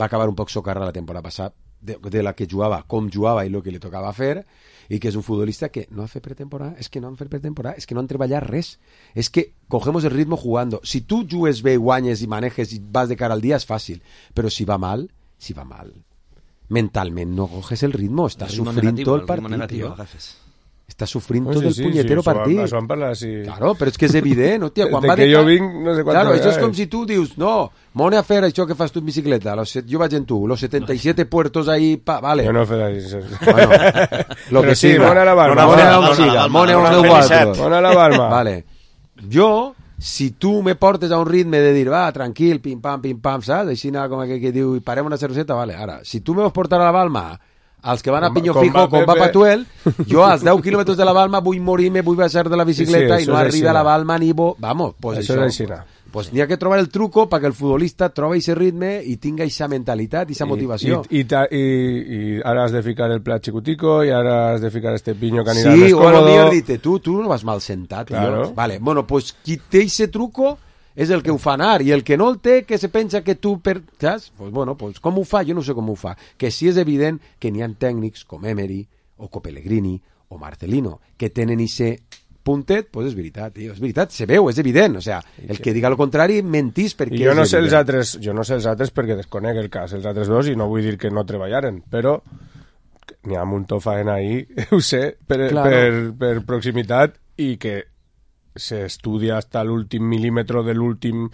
acabar un poc socarra la temporada passada de la que jugava, com jugava i el que li tocava fer, i que és un futbolista que no ha fet pretemporada, és que no han fet pretemporada, és que no han treballat res, és que cogemos el ritmo jugando. Si tu jugues bé, guanyes i manejes i vas de cara al dia, és fàcil, però si va mal, mentalment no coges el ritmo, estàs sufrint tot el partit, tio. Estàs sufrint tot el punyetero partit. Això van parlar així. Claro, però és que és evident, hòstia, quan de va que jo vinc, no sé quantes Claro, això és vegades. com si tu dius, no, mone a fer això que fas tu en bicicleta, jo vaig en tu, los 77 puertos ahí, vale. Jo no he fet així. Bueno, lo Però que sí, siga. mone a la Balma. Mone a on siga, mone a on el guatros. Mone a la Balma. Vale. Jo, si tu me portes a un ritme de dir, va, tranquil, pim-pam, saps? Així com que diu, parem una cerveseta, vale. Ara, si tu me vols portar a la Balma als que van a Piño Fijo, com va Patuel, jo als 10 quilòmetres de la Balma vull morir-me, vull baixar de la bicicleta i no arriba a la Balma ni bo... Vamos, pues això és així. Pues n'hi ha que trobar el truco perquè el futbolista trobi aquest ritme i tinga aquesta mentalitat i aquesta motivació. I ara has de ficar el plat xicutico i ara has de ficar este piño que anirà sí, més o a lo còmodo. millor dite, tu no vas mal sentat, Claro. tio. Vale, bueno, pues qui té aquest truco és el que ho fa anar, i el que no el té, que se pensa que tu... Saps? Pues bueno, pues com ho fa? Jo no sé com ho fa. Que sí és evident que n'hi ha tècnics com Emery, o Pellegrini, o Marcelino, que tenen ese puntet, pues és veritat, tio, és veritat, se veu, és evident, o sea, el que diga el contrari mentís perquè I jo no és sé els evident. altres, jo no sé els altres perquè desconec el cas, els altres dos, i no vull dir que no treballaren, però n'hi ha un muntó faena ahí, ho sé, per proximitat, i que s'estudia hasta l'últim mil·límetre de l'últim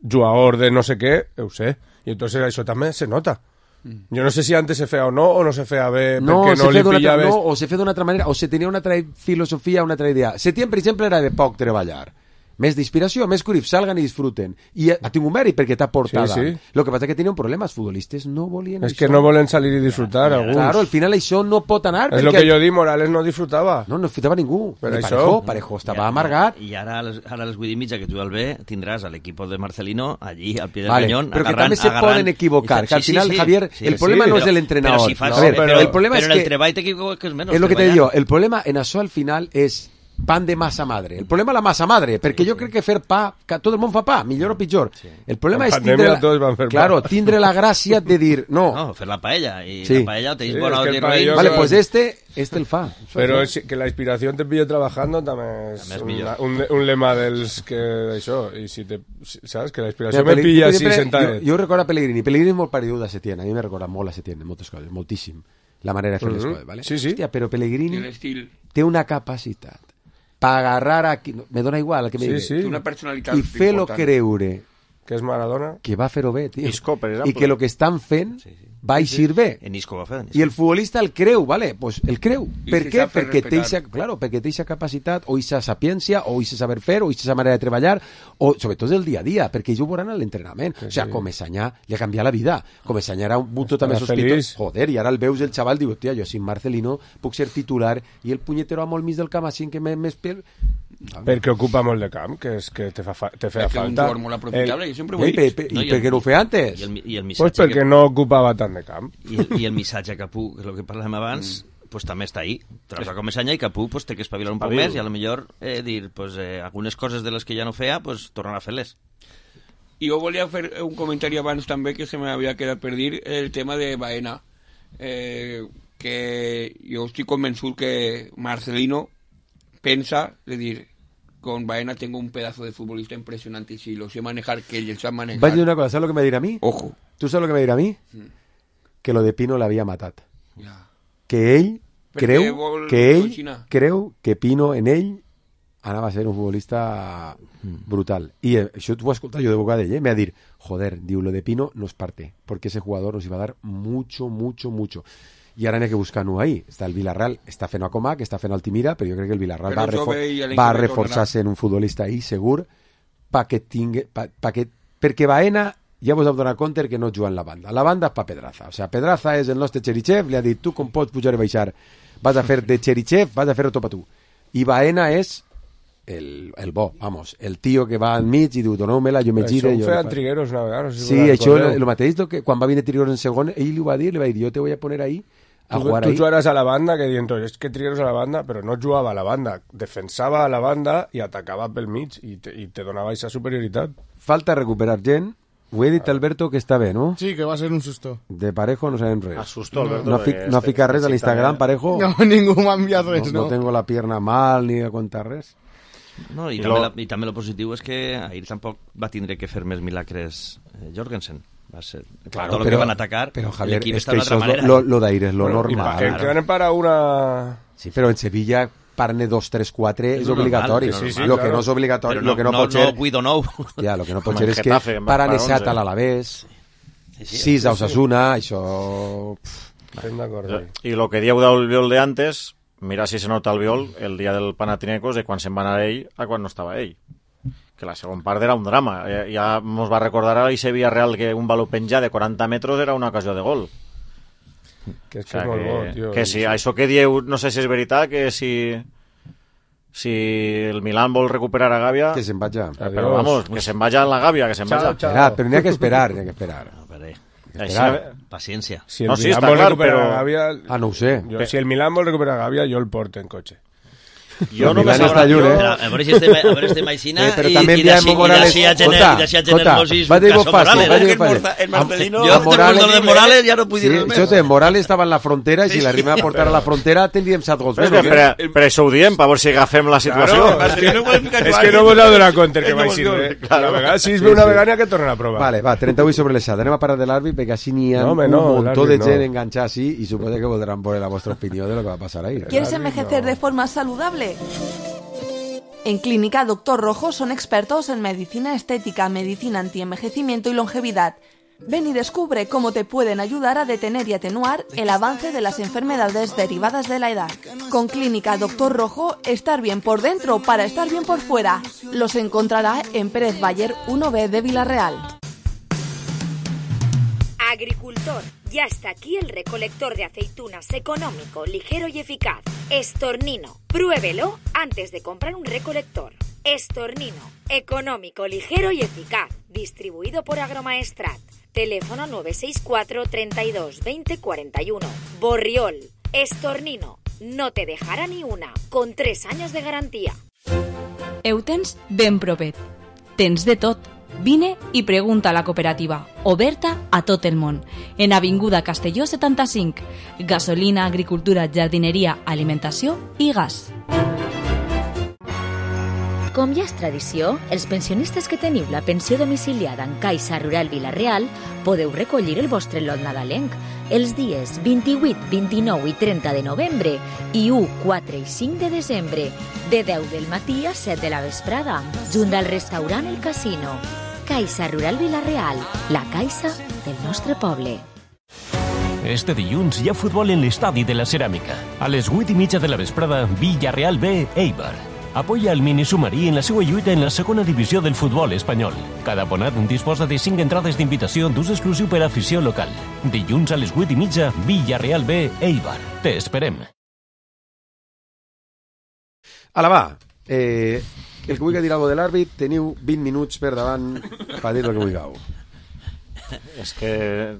jugador de no sé què, ho sé, i entonces això també se nota. Jo no sé si antes se feia o no se feia bé perquè no li pillaves... No, o se feia d'una altra manera, o se tenia una altra filosofia, una altra idea. Setién, per exemple, era de poc treballar. Més d'inspiració, més curif, salgan i disfruten. I ha tingut mèrit perquè t'ha portat. Sí. Lo que passa que tenia un problema, els futbolistes no volien És això. que no volen salir i disfrutar, alguns. Claro, al final això no pot anar. És el que jo dic, Morales no disfrutava. No disfrutava ningú. Per Ni això. Parejo estava amargat. I ara a les 8 i mitja que tu el ve tindràs a l'equip de Marcelino allí al pie del Vale, cañón però que també se poden equivocar, que al final, Javier, el problema no és el entrenador. Però el problema és en el que treball t'equivoques menys. és lo que te digo, el problema en això al final és pan de massa madre. El problema és la massa madre, perquè jo crec que fer pa, que tot el món fa pa, millor o pitjor. El problema és tindre la gràcia de dir, no. No, fer la paella, y la paella tenéis bueno de roín. Vale, pues este el fa. Però que la inspiració te pillo trabajando també és un lema dels que això, i si te, saps, que la inspiració me pilla així sentadet. Jo recordo a Pellegrini és molt paregut a Setién, a mi me recorda molt a Setién en moltes coses, moltíssim, la manera de fer les coses, ¿vale? Sí, sí. Hòstia, però Pellegrini té una capacitat per agarrar aquí, me dona igual el que me digui, una personalitat i fer-lo creure que és Maradona, que va fer-ho bé, tio. Isco, per exemple. I que el que estan fent va eixir bé. En Isco va fer. I el futbolista el creu, vale? Pues el creu. Per què? Perquè té eixa capacitat, o eixa sapiència, o eixa saber fer, o eixa manera de treballar, o sobretot el dia a dia, perquè ells ho veuran a l'entrenament. O sigui, Comesaña li ha canviat la vida. Comesaña era un punto també sospitós. Joder, i ara el veus el xaval, diu, tia, jo sin Marcelino puc ser titular, i el punyetero amo al mig del camp, així que més pel... Perquè ocupa molt de camp, que és que te fa falta. És un jugador molt aprofitable, jo sempre ho he dit. I per què no ho feia antes? Pues perquè no ocupava tant de camp. I el missatge a Capú, que és el que parlàvem abans, pues també està ahí. Traus a Comesaña i Capú pues, té que espavilar un poc més i a lo millor dir pues, algunes coses de les que ja no feia, pues, tornar a fer-les. I jo volia fer un comentari abans també que se m'havia quedat per dir el tema de Baena. Que jo estic convençut que Marcelino pensa, de dir, con Baena tengo un pedazo de futbolista impresionante y si lo sé manejar, que él sabe manejar. Vaig dir una cosa, ¿sabes lo que me dirà a mí? Ojo. ¿Tú sabes lo que me dirà a mí? Que lo de Pino l'havia matat. Que ell creu que Pino en ell anava a ser un futbolista brutal. I això t'ho he escoltat jo de boca d'ell, me va dir, joder, diu, lo de Pino nos parte, porque ese jugador nos iba a dar mucho. I ara n'hi ha que buscar-ho ahí. Està el Villarreal, està fent a Comac, està fent Altimira, però jo crec que el Villarreal va reforçar-se en un futbolista ahí, segur, perquè Baena ja vos heu donat compte que no juga en la banda. La banda és pa Pedraza. O sea, Pedraza és el nostre Cherichev, li ha dit, tu com pots pujar i baixar? Vas a fer de Cherichev, vas a fer-ho tot a tu. I Baena és el bo, vamos, el tio que va al mig i diu, doneu-me-la, jo me gire. Això ho feien Trigueros una vegada. Sí, això el mateix, quan va venir Trigueros en segon, ell li va dir, jo te voy a poner ahí a jugar ahí. Tu jugaràs a la banda, que diuen, és que Trigueros a la banda, però no jugava a la banda, defensava a la banda i atacava pel mig i te donava aquesta superioritat. Falta recuperar gent. Ho he dit, Alberto, que està bé, no? Sí, que va ser un susto. De Parejo no sabem res. Asustó, Alberto. No ha ficat res a l'Instagram, Parejo? No, ningú m'ha enviat res, no. No tengo la pierna mal, ni a contar res. No, i també lo positiu és que ahir tampoc va tindre que fer més milagres Jorgensen. Va ser, claro, tot el que van atacar, però Javier, l'equip és està que d'altra manera. Lo d'ahir és lo normal. Que van parar una... Sí, però en Sevilla parne 2, 3, 4 és obligatori. Lo que no és obligatori, lo que no pot ser... Ja, lo que no pot ser és que paran esat a l'Alavés, 6 a Osasuna, això... I lo que dieu del viol de antes, mira si se nota el viol el dia del Panathinaikos de quan se'n va anar ell a quan no estava ell. Que la segona part era un drama. Ja ens va recordar a l'Ice Villarreal que un baló penjar de 40 metres era una ocasió de gol. Que és que és molt bo, tio. Que si això que dieu, no sé si és veritat, que si el Milan vol recuperar a Gavia... Que se'n vaja. Però vamos, que se'n vaja en la Gavia, que se'n vaja. Però n'hi ha que esperar, Paciència. Si el Milan vol recuperar a Gavia... no ho sé. Si el Milan vol recuperar a Gavia, jo el porto en cotxe. Jo no me està lluny, a veure si estem aixina però també enviam Morales. Va dir vos fàcil. El Marcelino, de Morales ja no puc dir res més. Morales estava en la frontera i si l'arribem a portar a la frontera tindríem 7 gols. Per això ho diem, per veure si agafem la situació. És que no vos heu donat compte que va així. A vegades si es ve una vegada que tornen a provar. Vale, va, 38 sobre l'Esat. Anem a parar de l'àrbit perquè així n'hi ha un muntó de gent enganxada així i suposo que voldran veure la vostra opinió de lo que va passar ahí. ¿Quieres envejecer de forma saludable? En Clínica Doctor Rojo son expertos en medicina estética, medicina antienvejecimiento y longevidad. Ven y descubre cómo te pueden ayudar a detener y atenuar el avance de las enfermedades derivadas de la edad. Con Clínica Doctor Rojo, estar bien por dentro para estar bien por fuera. Los encontrará en Pérez Bayer 1B de Villarreal. Agricultor, ya está aquí el recolector de aceitunas económico, ligero y eficaz. Estornino, pruébelo antes de comprar un recolector. Estornino, económico, ligero y eficaz. Distribuido por Agromaestrat. Teléfono 964 32 20 41. Borriol. Estornino, no te dejará ni una, con 3 años de garantía. Eutens ben propet. Tens de tot. Vine i pregunta a la cooperativa, oberta a tot el món, en Avinguda Castelló 75. Gasolina, agricultura, jardineria, alimentació i gas. Com ja és tradició, els pensionistes que teniu la pensió domiciliada en Caixa Rural Vila-real podeu recollir el vostre lot nadalenc els dies 28, 29 i 30 de novembre i 1, 4 i 5 de desembre, de 10 del matí a 7 de la vesprada, junt al restaurant El Casino. Caixa Rural Vila-real, la caixa del nostre poble. Este dilluns hi ha futbol en l'estadi de la Ceràmica. A les 8:30 de la vesprada, Villarreal B, Eibar. Apoya el minisubmarí en la seva lluita en la segona divisió del futbol espanyol. Cada abonat disposa de 5 entrades d'invitació d'ús exclusiu per a afició local. Dilluns a les 8:30, Villarreal B, Eibar. Te esperem. Ala, va. El que vulgui dir alguna cosa de l'àrbit, teniu 20 minuts per davant per dir el que vulgueu. És que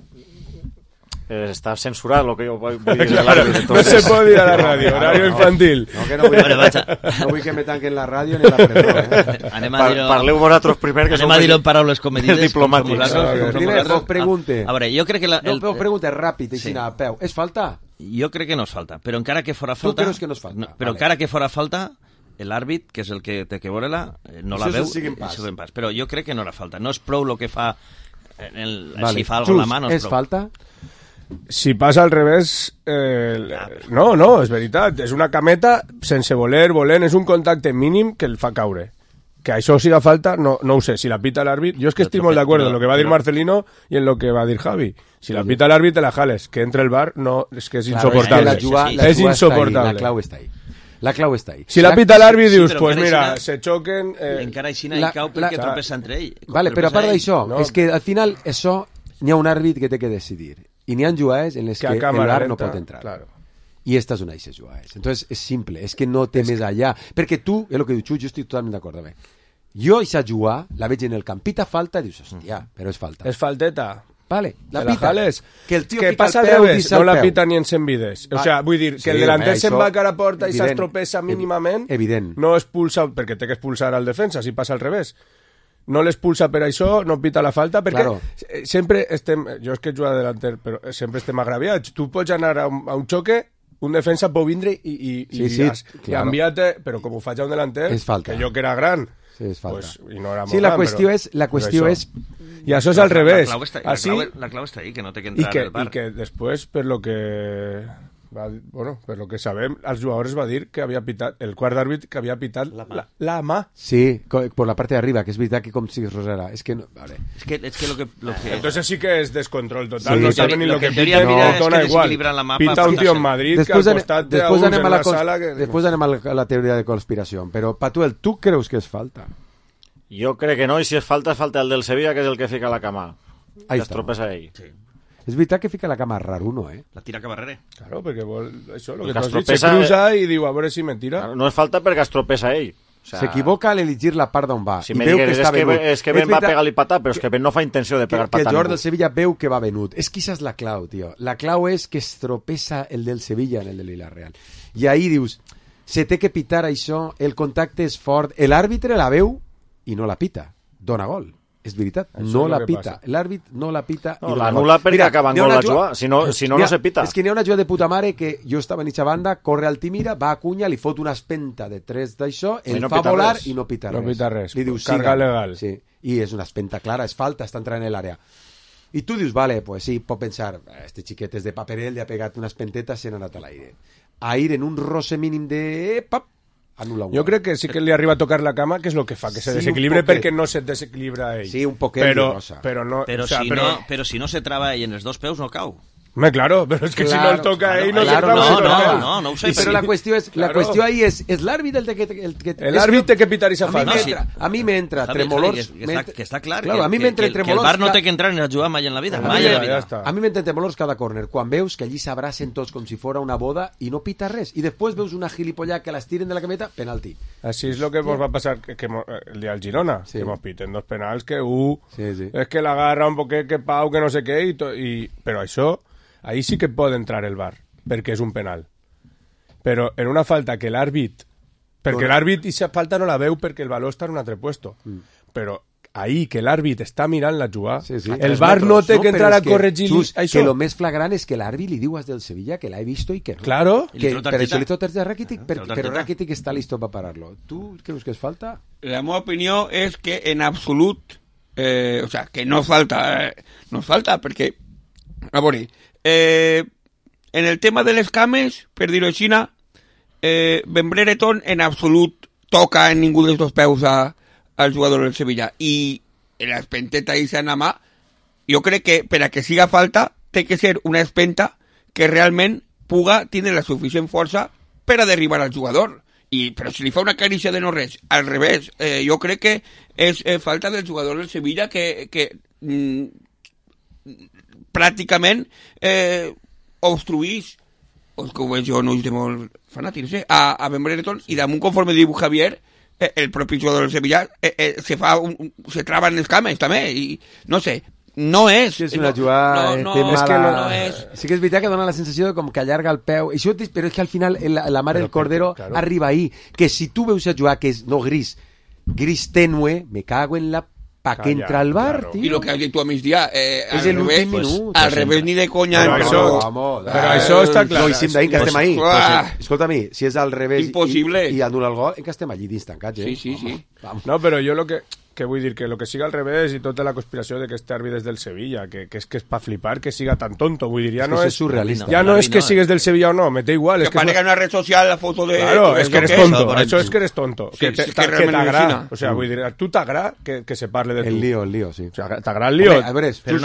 està censurat el que jo vull dir. Claro, no se pot dir a la ràdio, horario infantil. No, que no vull que me tanquen la ràdio ni la presó. Parleu vosaltres primer, que anem a dir-ho en paraules comedides. Diplomàtics. Vos pregunte. A veure, jo crec que... No, pregunta ràpid, així a peu. És falta? Jo crec que no és falta, però encara que fora falta... Tu creus que no és falta? Però encara que fora falta, l'àrbit, que és el que té que veure-la, no la veu, però jo crec que no era falta. No és prou el que fa... Si fa alguna mà, no és prou. És falta? Si passa al revés... No, és veritat. És una cameta sense volent. És un contacte mínim que el fa caure. Que això siga falta, no ho sé. Si la pita l'àrbit... Jo és que estic molt d'acord en lo que va dir Marcelino y en lo que va dir Javi. Si la pita l'àrbit, te la jales. Que entre el bar, no, és que és insoportable. És insoportable. La clau està ahí. La clau està ahí. Si la pita l'àrbit, dius, pues mira, se xoquen... Encara així no hi cau perquè tropessa entre ell. Vale, però a part d'això, és que al final això n'hi ha un àrbit que té que decidir. I n'hi ha jugades en les que l'AR no pot entrar. Claro. I estas són aquestes jugades. Entonces és simple, és que no té més allà. Perquè tu, és el que diu Xu, jo estic totalment d'acord amb ell. Jo aquesta jugada la veig en el camp, pita falta, i dius, hòstia, però és falta. És falteta. Vale, la pita. Que el tío que passa al revés, no la pita ni en Senvides. O sea, vull dir, que el delanter se'n va cara a porta i s'estropessa mínimament, no expulsa, perquè té que expulsar al defensa, si passa al revés. No l'expulsa per això, no pita la falta, perquè sempre estem... Jo és que he jugat delanter, però sempre estem agraviats. Tu pots anar a un xoque, un defensa pot vindre i canviar-te, però com ho faig a un delanter, que jo que era gran, i no era molt gran, la qüestió és... I això és al revés. La clau està ahí, que no té que entrar al bar. I que després, per lo que sabem, els jugadors va dir que havia pitat, el quart d'àrbit que havia pitat la mà. Sí, por la parte de arriba, que és veritat que com si rosera. És que no, vale. Es que lo que entonces sí que es descontrol total, sí, no saben ni lo que pita, no dona igual. Pita un tío en Madrid que al costat de uns en una sala que... Després anem a la teoria de conspiració, però Patuel, tu creus que és falta? Jo crec que no, i si és falta el del Sevilla, que és el que fica la cama. Que es tropessa ell. Sí. És veritat que fica la cama raro, no, La tira cap darrere. Claro, perquè vol... Això, lo que t'has dit, se cruza i diu, a veure si me tira. No és falta perquè es tropessa ell. O sea, s'equivoca al elegir la part d'on va. Si i veu que està venut. És que Ben va pegar-li patat, però és que Ben no fa intenció de pegar patat. Que el jugador del Sevilla veu que va venut. És que això és la clau, tio. La clau és que es tropessa el del Sevilla en el de Villarreal. I ahí dius, se té que pitar això, el contacte és fort, l'àrbitre la veu i no la pita. Dona gol. És veritat, no la pita. L'àrbit no la pita. No, l'anul·la perquè acaben gol la jugada. Si no se pita. És que n'hi ha una jugada de puta mare que jo estava en eixa banda, corre Altimira, va a Cunha, li fot una espenta de 3 d'això, el fa volar i no pita res. No pita res. Li dius, carga legal. Sí. I és una espenta clara, és falta, està entrant en l'àrea. I tu dius, vale, pues sí, pot pensar, este xiquet és de paperell, li ha pegat una espenteta, s'ha anat a l'aire. Aire en un roce mínim de... Pap, anul·la un jo crec que sí que li arriba a tocar la cama, que és el que fa que se desequilibre perquè no se desequilibra ell. Sí, un poquet però si no se traba ell en els dos peus no cau. Claro, pero es que si no el toca ahí no se traba. No ho sé. Però la qüestió ahí és l'àrbit el que... L'àrbit té que pitar esa falta. A mi m'entra tremolors... Que està clar, a mi m'entra tremolors... Que el bar no té que entrar ni a jugar mai en la vida. A mi m'entra tremolors cada córner, quan veus que allí s'abracen tots com si fora una boda i no pita res. I després veus una gilipollà que les tiren de la cameta, penalti. Así es lo que nos va a pasar el día del Girona, que nos piten dos penals, que es que la agarra un poquet, que Pau, que no sé què, però això... Ahí sí que pot entrar el VAR, perquè és un penal. però en una falta que l'àrbit... Perquè l'àrbit i falta no la veu perquè el valor està en un altre puesto. Però ahí que l'àrbit està mirant la jugada, el VAR no té que entrar a corregir això. Que lo més flagrant és que l'àrbit li diu als del Sevilla que l'ha visto i que no. Claro. Que per això li tot a Rakitic, però Rakitic està listo per parar-lo. Tu creus que es falta? La meva opinió és que en absolut, o sea, que no falta, perquè, a veure, en el tema de les cames, per dir-ho així, Ben Brereton en absolut toca en ningú dels dos peus al jugador del Sevilla, i l'espenteta i la mà, jo crec que per a que siga falta té que ser una espenta que realment puga tindre la suficient força per a derribar al jugador. Però si li fa una carícia de no res, al revés, jo crec que és falta del jugador del Sevilla que pràcticament obstruís, que ho veig jo no de molt fanàtic, no sé, a Ben Brereton, i damunt, conforme diu Javier, el propi jugador del Sevilla se traba en les cames també, i no sé, no és... És una jugada... No és... Sí que és veritat que dona la sensació de com que allarga el peu, però és que al final la mare del Cordero arriba ahí, que si tu veus a jugar que és no gris tenue, me cago en la... ¿Para qué entra al VAR, tío? Y lo que has dicho a misdia, es el último minuto. Al revés ni de coña. Però això està clar. No, i sim d'ahir que estem ahí. Escolta-mi, si és al revés i anul·la el gol, que estem allí dins tancats, Sí. No, però jo lo que vull dir, que lo que siga al revés i tota la conspiració de que este àrbit és del Sevilla, que és que és pa flipar que siga tan tonto, vull dir, ja no és surrealista. Ja no és que sigues del Sevilla o no, me da igual. Que aparega en una red social la foto de... Claro, es que eres tonto, això és que eres tonto. Que t'agrada, o sea, vull dir, tu t'agrada que se parle de tu. El lío, sí. O sea, t'agrada el lío. A veure, està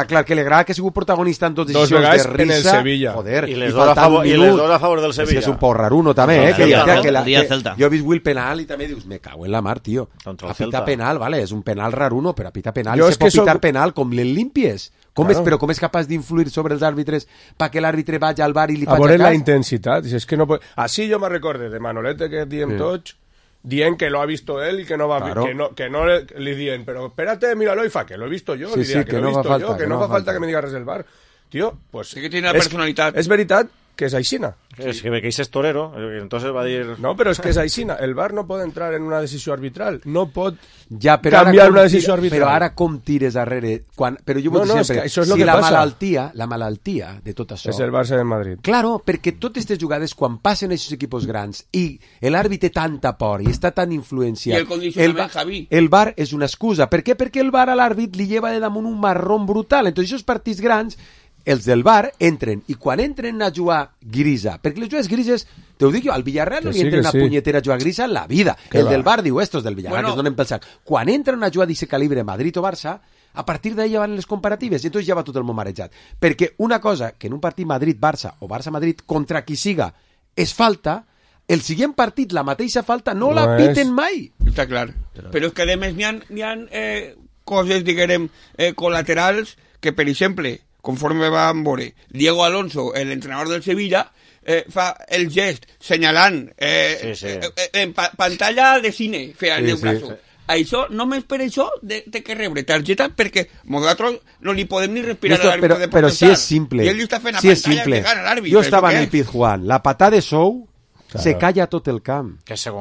clar que li agrada que ha sigut protagonista en totes decisions de risa. En el Sevilla. Joder, i les dos a favor del Sevilla. És un poc raruno també, jo he vist el penal i també dius, me cago en la mar, tio. Pita penal, vale, és un penal raruno, però a pita penal se pot pitar penal com l'Limpies. Però com és capaç d'influir sobre els àrbitres perquè l'àrbitre vagi al bar i li faci cas? A veure la intensitat. És que no pot... Así yo me recorde de Manolete que diem tots, dient que lo ha visto él y que no va que no le dien, pero espérate, míralo y fa, que lo he visto yo, que lo he visto yo, que no fa falta que me digas res del bar. Tío, pues... Sí que tiene la personalitat. És veritat que és aixina. Es que es torero, entonces va a dir... No, però és que és aixina. El VAR no pot entrar en una decisió arbitral. No pot canviar una decisió arbitral. Però ara com tires darrere... Però jo vull dir sempre, això és lo si que la malaltia de tot això... És el Barça de Madrid. Claro, perquè totes aquestes jugades, quan passen aquests equipos grans i l'àrbit té tanta por i està tan influenciat... I el condicionament, Javi. El VAR és una excusa. Per què? Perquè el VAR a l'àrbit li lleva de damunt un marrón brutal. Entonces, aquests partits grans... els del VAR entren, i quan entren a jugar grisa, perquè les jugades grises, te ho dic jo, al Villarreal no li entren a punyetera a jugar grisa en la vida. El del VAR diu, estos del Villarreal, que es donen pel sac. Quan entren a jugar d'aquest calibre Madrid o Barça, a partir d'ahí ja van les comparatives, i entonces ja va tot el món marejat. Perquè una cosa que en un partit Madrid-Barça o Barça-Madrid, contra qui siga, és falta, el següent partit, la mateixa falta, no la piten mai. Està clar. Però és que a més n'hi ha coses, diguem, col·laterals que, per exemple, conforme vam veure, Diego Alonso, l'entrenador del Sevilla, fa el gest senyalant en pantalla de cine, feia el braço. Això, només per això, té que rebre targeta perquè nosaltres no li podem ni respirar a l'àrbit de protestar. Però si és simple. I ell li està fent a pantalla que gana l'àrbit. Jo estava en el Pizjuán, la patada de Sou se calla tot el camp.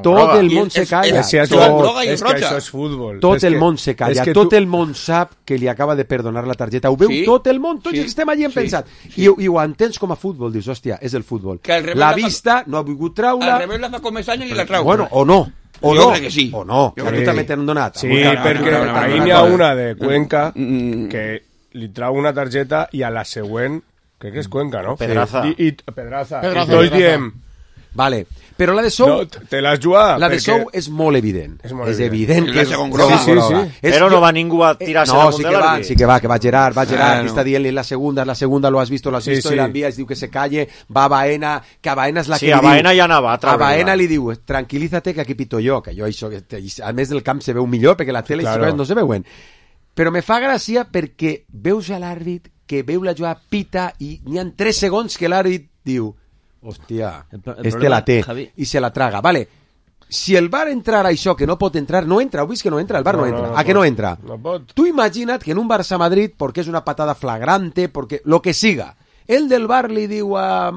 Tot el món se calla. És que això és futbol. Tot el món se calla. Tot el món sap que li acaba de perdonar la targeta. Ho veu tot el món. Tots estem allí pensat. I ho entens com a futbol. Dius, hòstia, és el futbol. La vista no ha volgut traure... Al revés la fa com és any i la trau. Bueno, o no. O jo crec que sí. O no. Que tu també t'han donat. Sí, perquè ahir n'hi ha una de Cuenca que li trau una targeta i a la següent, crec que és Cuenca, no? Pedraza. Pedraza. Tots diem... Vale, però la de Sou... No, te l'has jugat. La de Sou és molt evident. És evident que és groga. Sí. Però no va ningú a tirar-se damunt de l'àrbit. Sí que va Gerard, està dient-li la segunda, lo has visto, i l'envia, es diu que se calle, va a Baena, que a Baena és la que li diu... Sí, a Baena ja anava a treure. A Baena li diu, tranquilízate que aquí pito jo, que jo això, a més del camp se veu millor, perquè la tele no se veuen. Però me fa gràcia perquè veus a l'àrbit que veu la jugada, pita, i n'hi ha 3 segons que l'àrbit diu... Hòstia, la té, Javi, i se la traga. Vale, si el VAR entrara això que no pot entrar, no entra, heu vist que no entra, el VAR no entra. ¿A que no entra? No pot. Tu imagina't que en un Barça-Madrid, perquè és una patada flagrante, perquè lo que siga, el del VAR li diu a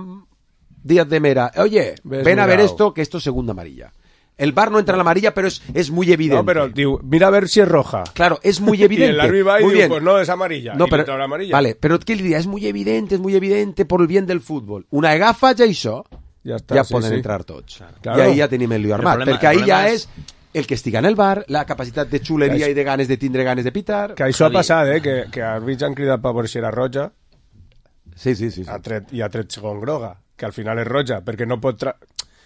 Díaz de Mera, oye, ven a ver esto, que esto es segunda amarilla. El VAR no entra en la amarilla, pero es muy evidente. No, pero digo, mira a ver si es roja. Claro, es muy evidente. Y el árbitro va y muy digo, bien. pues no, es amarilla. No, y pero, la amarilla. vale, però què li diria? És muy evidente por el bien del futbol. Una agafa ja això, ja poden entrar tots. Claro. I ahí ja tenim el lío armat, perquè ahí ja és el que estiga en el bar, la capacitat de xuleria i de ganes de tindre ganes de pitar. Que això ha passat, que àrbits han cridat per veure si era roja. Sí. I ha tret segon groga, que al final és roja, perquè no pot...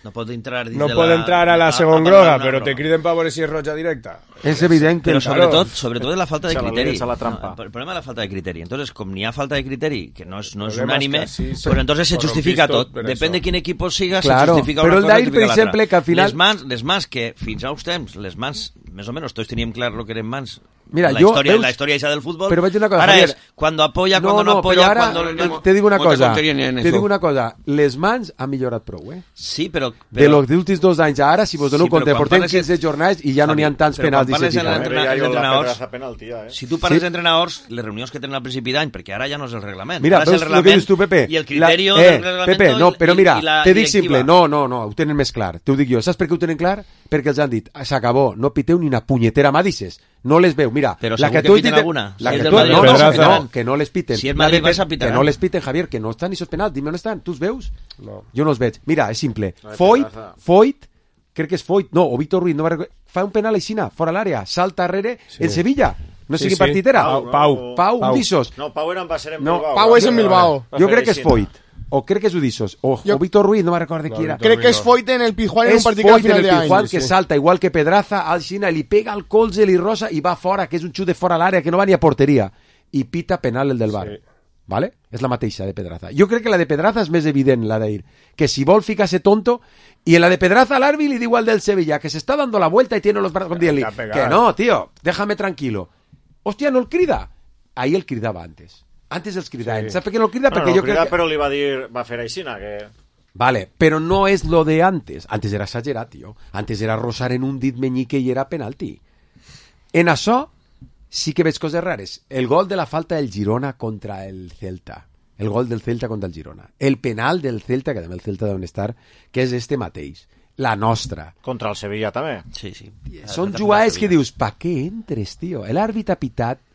No pot entrar dins no de pot entrar a la segon groga, però te criden per veure si és roja directa. És evident que... Però sobretot és la falta de criteri. El problema es la falta de criteri. Entonces, com n'hi ha falta de criteri, que no es unánime, pues entonces se justifica tot. Depèn de quin equip siga, se justifica una cosa, se justifica l'altra. Que al final... Les mans que fins a uns temps, les mans, més o menys, tots teníem clar lo que eren mans. Mira, la historia esa del fútbol. Pero una cosa, ahora Javier, es cuando apoya, cuando no apoya, cuando... Te digo una cosa, les mans han millorat prou, Sí, però... De los últims 2 anys a ara, si vos dono compte, portem 15 jornades i ja no n'hi ha tants penals Si tu parles d'entrenadors, les reunions que tenen al principi d'any, perquè ara ja no és el reglament. Mira, veus el que dius tu, Pepe? I el criteri del reglament... Pepe, no, però mira, te dic simple, no, ho tenen més clar, t'ho dic jo. Saps per què ho tenen clar? Perquè els han dit, s'acabó, no piteu ni una punyetera mà, dices. No les veu, mira, però la que tu piten alguna. Que no les piten. Si el Madrid vas a pitar. Que no les piten, Javier, que no estan ni sos penals, dime on estan, tu els veus? No. Jo no els veig. Mira, és simple. Foyt, crec que és Foyt, no, o Víctor Ruiz, no fa un penal aixina, fora l'àrea, salta darrere, el Sevilla. No sé quin partit era. Pau, Udissos. No, Pau va ser en Bilbao. Pau és en Bilbao. Jo crec que és Foyt. O crec que és Udissos, o Víctor Ruiz, no me recordo qui era. Crec que és Foyt en el Pijuán en un partit al final d'any. És Foyt que salta, igual que Pedraza, al Xina, li pega al colze, li rosa i va fora, que és un xut de fora a l'àrea, que no va ni a porteria. I pita penal el del bar. ¿Vale? És la mateixa de Pedraza. Jo crec que la de Pedraza és més evident, la d'ahir. Que si vol ficar-se tonto, y en la de Pedraza l'àrbit li diu al del Sevilla, que se está dando la vuelta y tiene los brazos, que no, tío, déjame tranquilo. Hòstia, no el crida. Ahí el cridava antes. Antes els cridaven. Saps per què no el crida? Perquè jo crec que... Però li va dir, va fer aixina, que... Vale, però no és lo de antes. Antes era exagerat, tio. Antes era rosar en un dit meñique i era penalti. En això sí que veig coses rares. El gol de la falta del Girona contra el Celta. El gol del Celta contra el Girona. El penal del Celta, que també el Celta deuen estar, que és este mateix. La nostra. Contra el Sevilla també. Sí. Són jugades que dius, pa què entres, tio? L'àrbit ha pitat.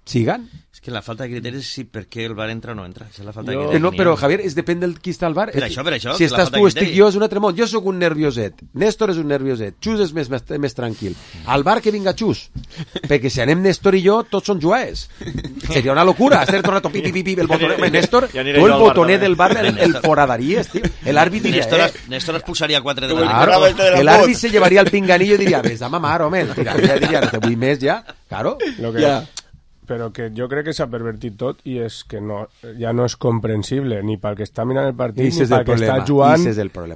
Sigan. És que la falta de criteris sí, perquè el bar entra o no entra. És la falta de criteris. No, però Javier, depèn del qui està al bar. Per això. Si estàs tu, estic jo, és un altre món. Jo sóc un nervioset. Néstor és un nervioset. Xus és més tranquil. Al bar que vinga Xus. Perquè si anem Néstor i jo, tots són jugadors. Seria una locura. Estar tot el rato pipi, el botoner. Néstor, tu el botoner del bar el foradaries, tio. L'àrbit diria... Néstor expulsaria 4 de la... L'àrbit se llevaria el pinganillo i diria, ves a mamar, home. Diria, no te vull més ja. Claro. Ja. Però que jo crec que s'ha pervertit tot i és que no, ja no és comprensible ni pel que està mirant el partit, ni pel que està jugant,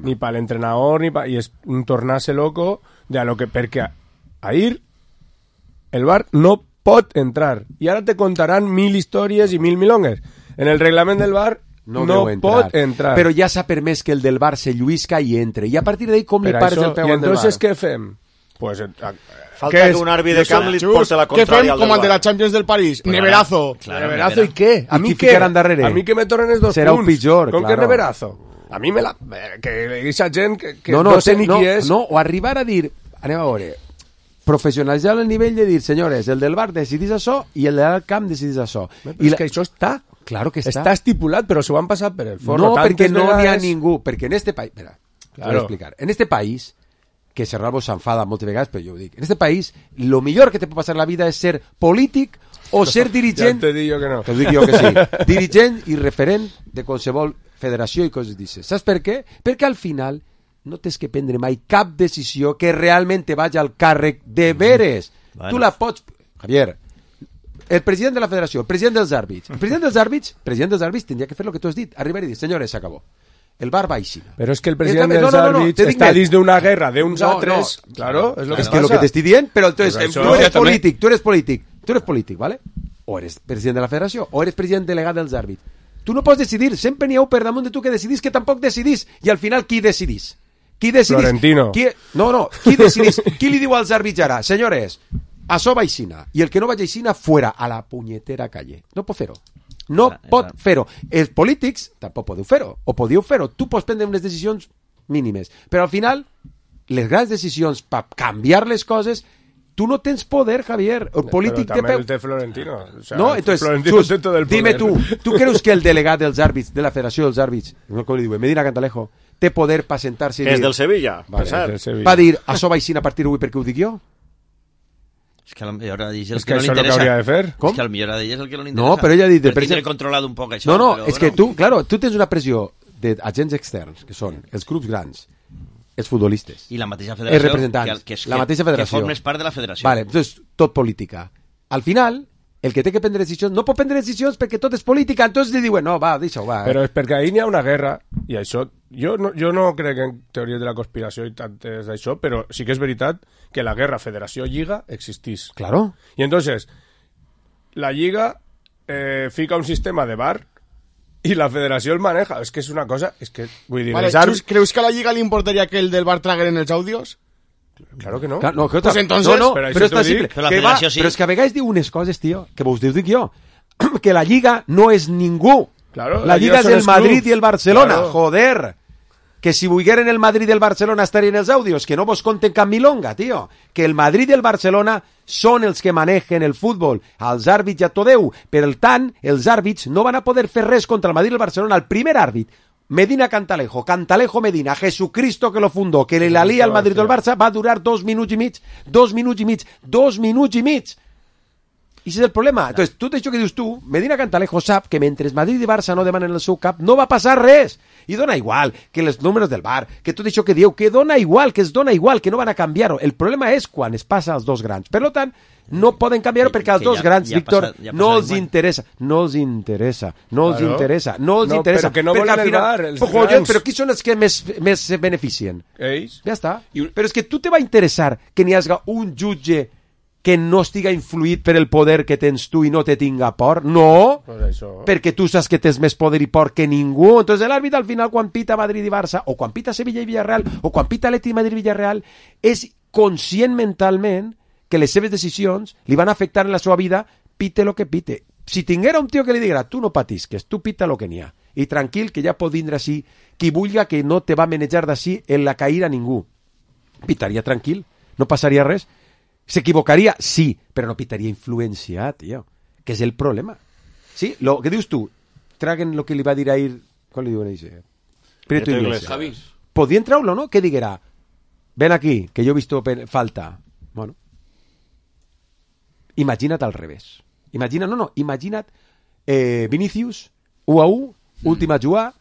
ni per l'entrenador, i és un tornar-se loco de lo que, perquè ahir el VAR no pot entrar i ara te contaran 1000 històries i 1000 milongues. En el reglament del VAR no pot entrar. Però ja s'ha permès que el del VAR se lluisca i entre, i a partir d'ahí com li pares el peu al del VAR? I entonces què fem? Pues falta que un árbitro de camp li porta la contraria al com el de la Champions del París, neverazo. Neverazo, ¿y qué? A mí qué? A mí que me tornen els 2 punts. Serà un pitjor, ¿Con qué neverazo? A mí me la... Que esa gent que no sé ni qui és... No, o arribar a dir... Anem a veure... Professionalitzar el nivell de dir, senyores, el del bar decidís això i el del camp decidís això. I és que això està... Claro que està. Està estipulat, però s'ho han passat per el forro. No, perquè no n'hi ha ningú. Perquè en este país... Mira, t'ho voy a explicar. En este país... que Serralvo s'enfada moltes vegades, però jo ho dic. En este país, lo millor que te pot passar en la vida és ser polític o ser dirigent... Ja te dic jo que no. Te dic jo que sí. Dirigent i referent de qualsevol federació i coses d'això. Saps per què? Perquè al final no tens que prendre mai cap decisió que realment te vagi al càrrec de veres. Tu la pots... Javier, el president de la federació, el president dels àrbits. El president dels àrbits tindria que fer el que tu has dit. Arribar i dir, senyores, s'acabó. El bar va així. Pero es que el presidente dels àrbits està dins d'una guerra de uns altres. Claro, es lo que pasa. Es que lo que te estoy dient, pero entonces tú eres polític, ¿vale? O eres president de la federació, o eres president delegat dels àrbits. Tu no pots decidir, sempre n'hi ha per damunt de tu que decidís que tampoc decidís, i al final qui decidís? Florentino. Qui decidís? Qui li diu als àrbits ara? Senyores, això va aixina, i el que no vagi aixina, fuera, a la punyetera calle. No pot fer-ho. No pot fer-ho. Els polítics tampoc podeu fer-ho, o podeu fer-ho. Tu pots prendre unes decisions mínimes, però al final, les grans decisions per canviar les coses, tu no tens poder, Javier. El polític Pero también el té Florentino. O sea, no, entonces, Florentino Sus, té tot el dime poder. tu creus que el delegat dels àrbits, de la Federació dels Àrbits, no com li diuen, Medina Cantalejo, té poder per sentar-se i dir... És del Sevilla, vale, per cert. Va dir, això va així a partir d'avui perquè ho dic jo? És que potser a ell és el És que que no li això és el que interessa. hauria de fer. Com? És que potser a ell és el que no li interessa. No, però ella ha dit... Per tindre controlat un poc això. No, però, és que tu, claro, tu tens una pressió d'agents externs, que són els clubs grans, els futbolistes, i la mateixa els federació, representants, la mateixa federació. Que formes part de la federació. Vale, entonces, tot política. Al final, el que té que prendre decisions no pot prendre decisions perquè tot és política, entonces li diuen, no, va, deixa-ho, va. Però és perquè ahir n'hi ha una guerra, i això... Jo no crec en teories de la conspiració i tantes d'això, però sí que és veritat que la guerra Federació-Lliga existís. Claro. Y entonces, la Lliga fica un sistema de VAR y la Federació el maneja. Es que és una cosa... Es que, vull dir, Vale, ¿creus que a la Lliga le importaría que el del VAR tragueren els àudios? Claro que no. No, que pues entonces... no, però però és tan simple. Però la Que va, federació sí. Però és que a vegades diu unes coses, tio, que vos dic jo. Que la Lliga no és ningú. Claro, la Lliga és són el els Madrid clubs. i el Barcelona. Claro. Joder. Que si volgueren el Madrid i el Barcelona estarien els àudios, que no vos conten cap milonga, tio. Que el Madrid i el Barcelona són els que manegen el futbol. Els àrbits ja t'ho deu. Per tant, els àrbits no van a poder fer res contra el Madrid i el Barcelona. El primer àrbit, Medina Cantalejo, Cantalejo Medina, Jesucristo que lo fundó, que la lía al Madrid o al Barça, va a durar 2 minuts i mig. 2 minuts i mig. 2 minuts i mig. I ese és el problema. Entonces, tot això que dius tu, Medina Cantalejo sap que mentre Madrid i Barça no demanen el seu cap, no va passar res. I dona igual que els números del VAR, que tot això que diu, que dona igual, que es dona igual, que no van a canviar-ho. El problema és quan es passa als dos grans. Per tant, no poden canviar-ho perquè als dos grans, Víctor, no els interessa. No els interessa. No els interessa. No els interessa. Però que no volen el VAR, els grans. Però qui són els que més se beneficien? Ells. Ja està. Però és que tu te va interessar que n'hi hagi un jutge que no estiga influït per el poder que tens tu i no te tinga por? No, pues això. perquè tu saps que tens més poder i por que ningú. Entonces l'àrbit al final quan pita Madrid i Barça, o quan pita Sevilla i Villarreal, o quan pita Atleti Madrid i Villarreal, és conscient mentalment que les seves decisions li van afectar en la seva vida, pite lo que pite. Si tinguera un tio que li diguera, tu no patisques, tu pita lo que n'hi ha, i tranquil, que ja pot vindre així, qui vulga que no te va manejar d'ací en la caïra ningú. Pitaria tranquil, no passaria res. ¿S'equivocaria? Sí, però no pitaria influenciat, tio, que és el problema. Sí, lo que dius tu, traguen lo que li va dir ahir, com li diuen a ese? Prieto Iglesias. Javi. Podien treure-lo, no? Que diguera, ven aquí, que yo he visto falta. Bueno, imagina't al revés. Imagina't Vinicius, 1-1, última jugada,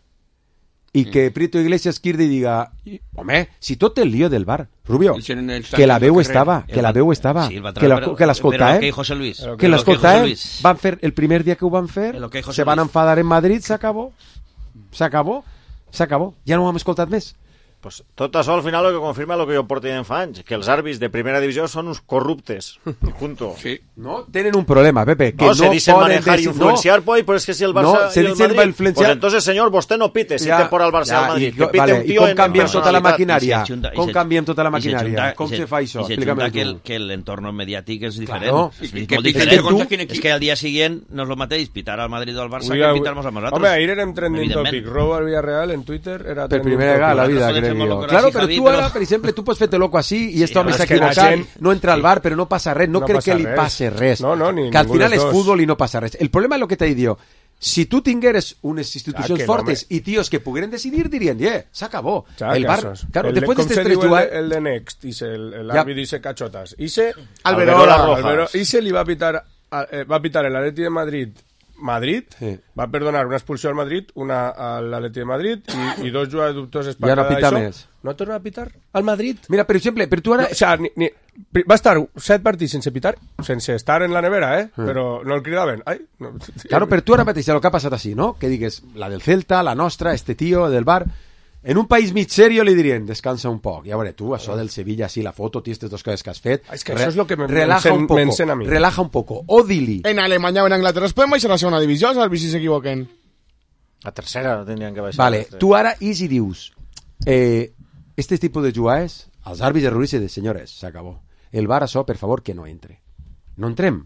i que Prieto Iglesias quirdi i diga, home, si tot el lío del bar, Rubio, que la veu estava, que l'escoltava, que l'escoltava, van fer, el primer dia que ho van fer, se van enfadar en Madrid, s'acabó, ja no ho hem escoltat més. Pues tot això al final lo que confirma lo que jo porto dient fa anys, que els àrbits de primera divisió són uns corruptes. Junto. Sí. No, tenen un problema, Pepe, que no se dicen manejar y influenciar, pues es que si el Barça se y el dicen Madrid, influenciar... pues entonces, señor, vostè no pite si té por al Barça al Madrid, que pite vale, un tío com canviem tota la maquinària? Com canviem tota la maquinària? Com se fa això? Explícame tu. Que l'entorn mediàtic és diferent. Claro. És molt diferent. És que al dia següent no és el mateix pitar al Madrid o al Barça que pitar-nos a nosaltres. Home, ahir érem trending topic. Robo al Villarreal en Twitter era per primera vegada a la vida, crec jo. Claro, però tu ara, per exemple, tu pots fer-te loco així i este home s'ha equivocat, no entra al bar, però no passa res. No crec que li passe res. Que al final és futbol i no passa res. El problema és el que t'he dit jo. Si tu tingueres unes institucions fortes i tios que pogueren decidir, dirien, s'acabó. El bar, claro, después de estos tres jugadores... El de Next, el árbitro dice cachotas. Alberola. Ise li va pitar el Atleti de Madrid, va perdonar una expulsió al Madrid, una al Atleti de Madrid i dos jugadors dubtosos per cada això. No torna a pitar al Madrid? Mira, per exemple, per tu ara... No, o sea, va estar 7 partits sense pitar, sense estar en la nevera, però no el cridaven. Ai, no. Claro, per tu ara mateix, el que ha passat així, no? Que digues, la del Celta, la nostra, este tío del bar... En un país mig serio li dirien, descansa un poc. Ja veure, tu, això del Sevilla, sí, la foto, aquestes dos coses que has fet... És que això és el que m'encén a mi. Relaja un poco. O dili. En Alemanya o en Anglaterra es poden baixar a la segona divisió, els àrbits si s'equivoquen. A tercera tindrien que baixar. Vale, tu ara, i si dius, este tipus de jugades, els àrbits de Ruiz de senyores, s'acabó. El bar, això, per favor, que no entre. No entrem.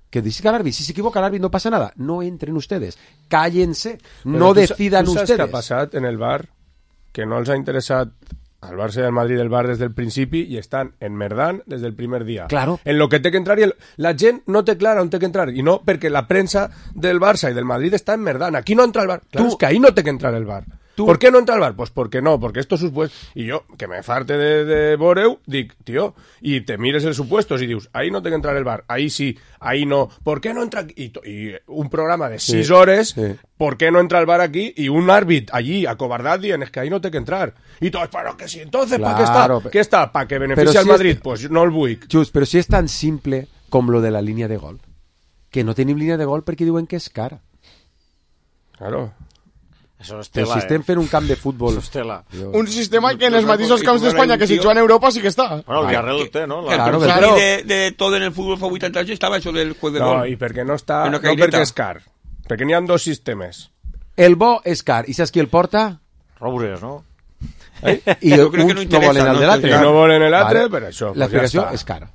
Que dice l'àrbit, si s'equivoca l'àrbit no pasa nada. No entren ustedes, cállense, no decidan ustedes. ¿Tú sabes qué ha pasado en el VAR? Que no les ha interesado al Barça y al Madrid el VAR desde el principi i estan enmerdant des del primer dia. Claro. En lo que té que entrar i la gent no té clara on té que entrar i no perquè la premsa del Barça i del Madrid està enmerdant. Aquí no entra el VAR. Claro, es que ahí no té que entrar el VAR. ¿Por qué no entra el VAR? Pues porque no, porque esto es supuesto. Y yo, que me farte de Boreu, dic, tío, y te mires el supuestos y dius, ahí no té que entrar el VAR, ahí sí, ahí no. ¿Por qué no entra? Y un programa de 6 horas, ¿por qué no entra el VAR aquí? Y un árbitro allí, acobardat, dient, es que ahí no té que entrar. Y todos, pero que sí, entonces, ¿para qué está? ¿Qué está? ¿Para que beneficie al Madrid? Pues no el vull. Just, però si és tan simple com lo de la línia de gol, que no tenim línia de gol perquè diuen que és cara. Claro. Això és Però tela, si estem fent un camp de futbol... Això és tela. Un sistema que en els mateixos camps d'Espanya que si juga en Europa sí que està. Bueno, el Villarreal ho té, no? Claro, de todo en el fútbol fa 80 anys estava això del juez de gol. No, i perquè no està... No perquè és car. Perquè n'hi ha 2 sistemes. El bo és car. I saps qui el porta? Roures, no? I uns no volen el de l'altre. I no volen l'altre, per això. L'explicació és cara.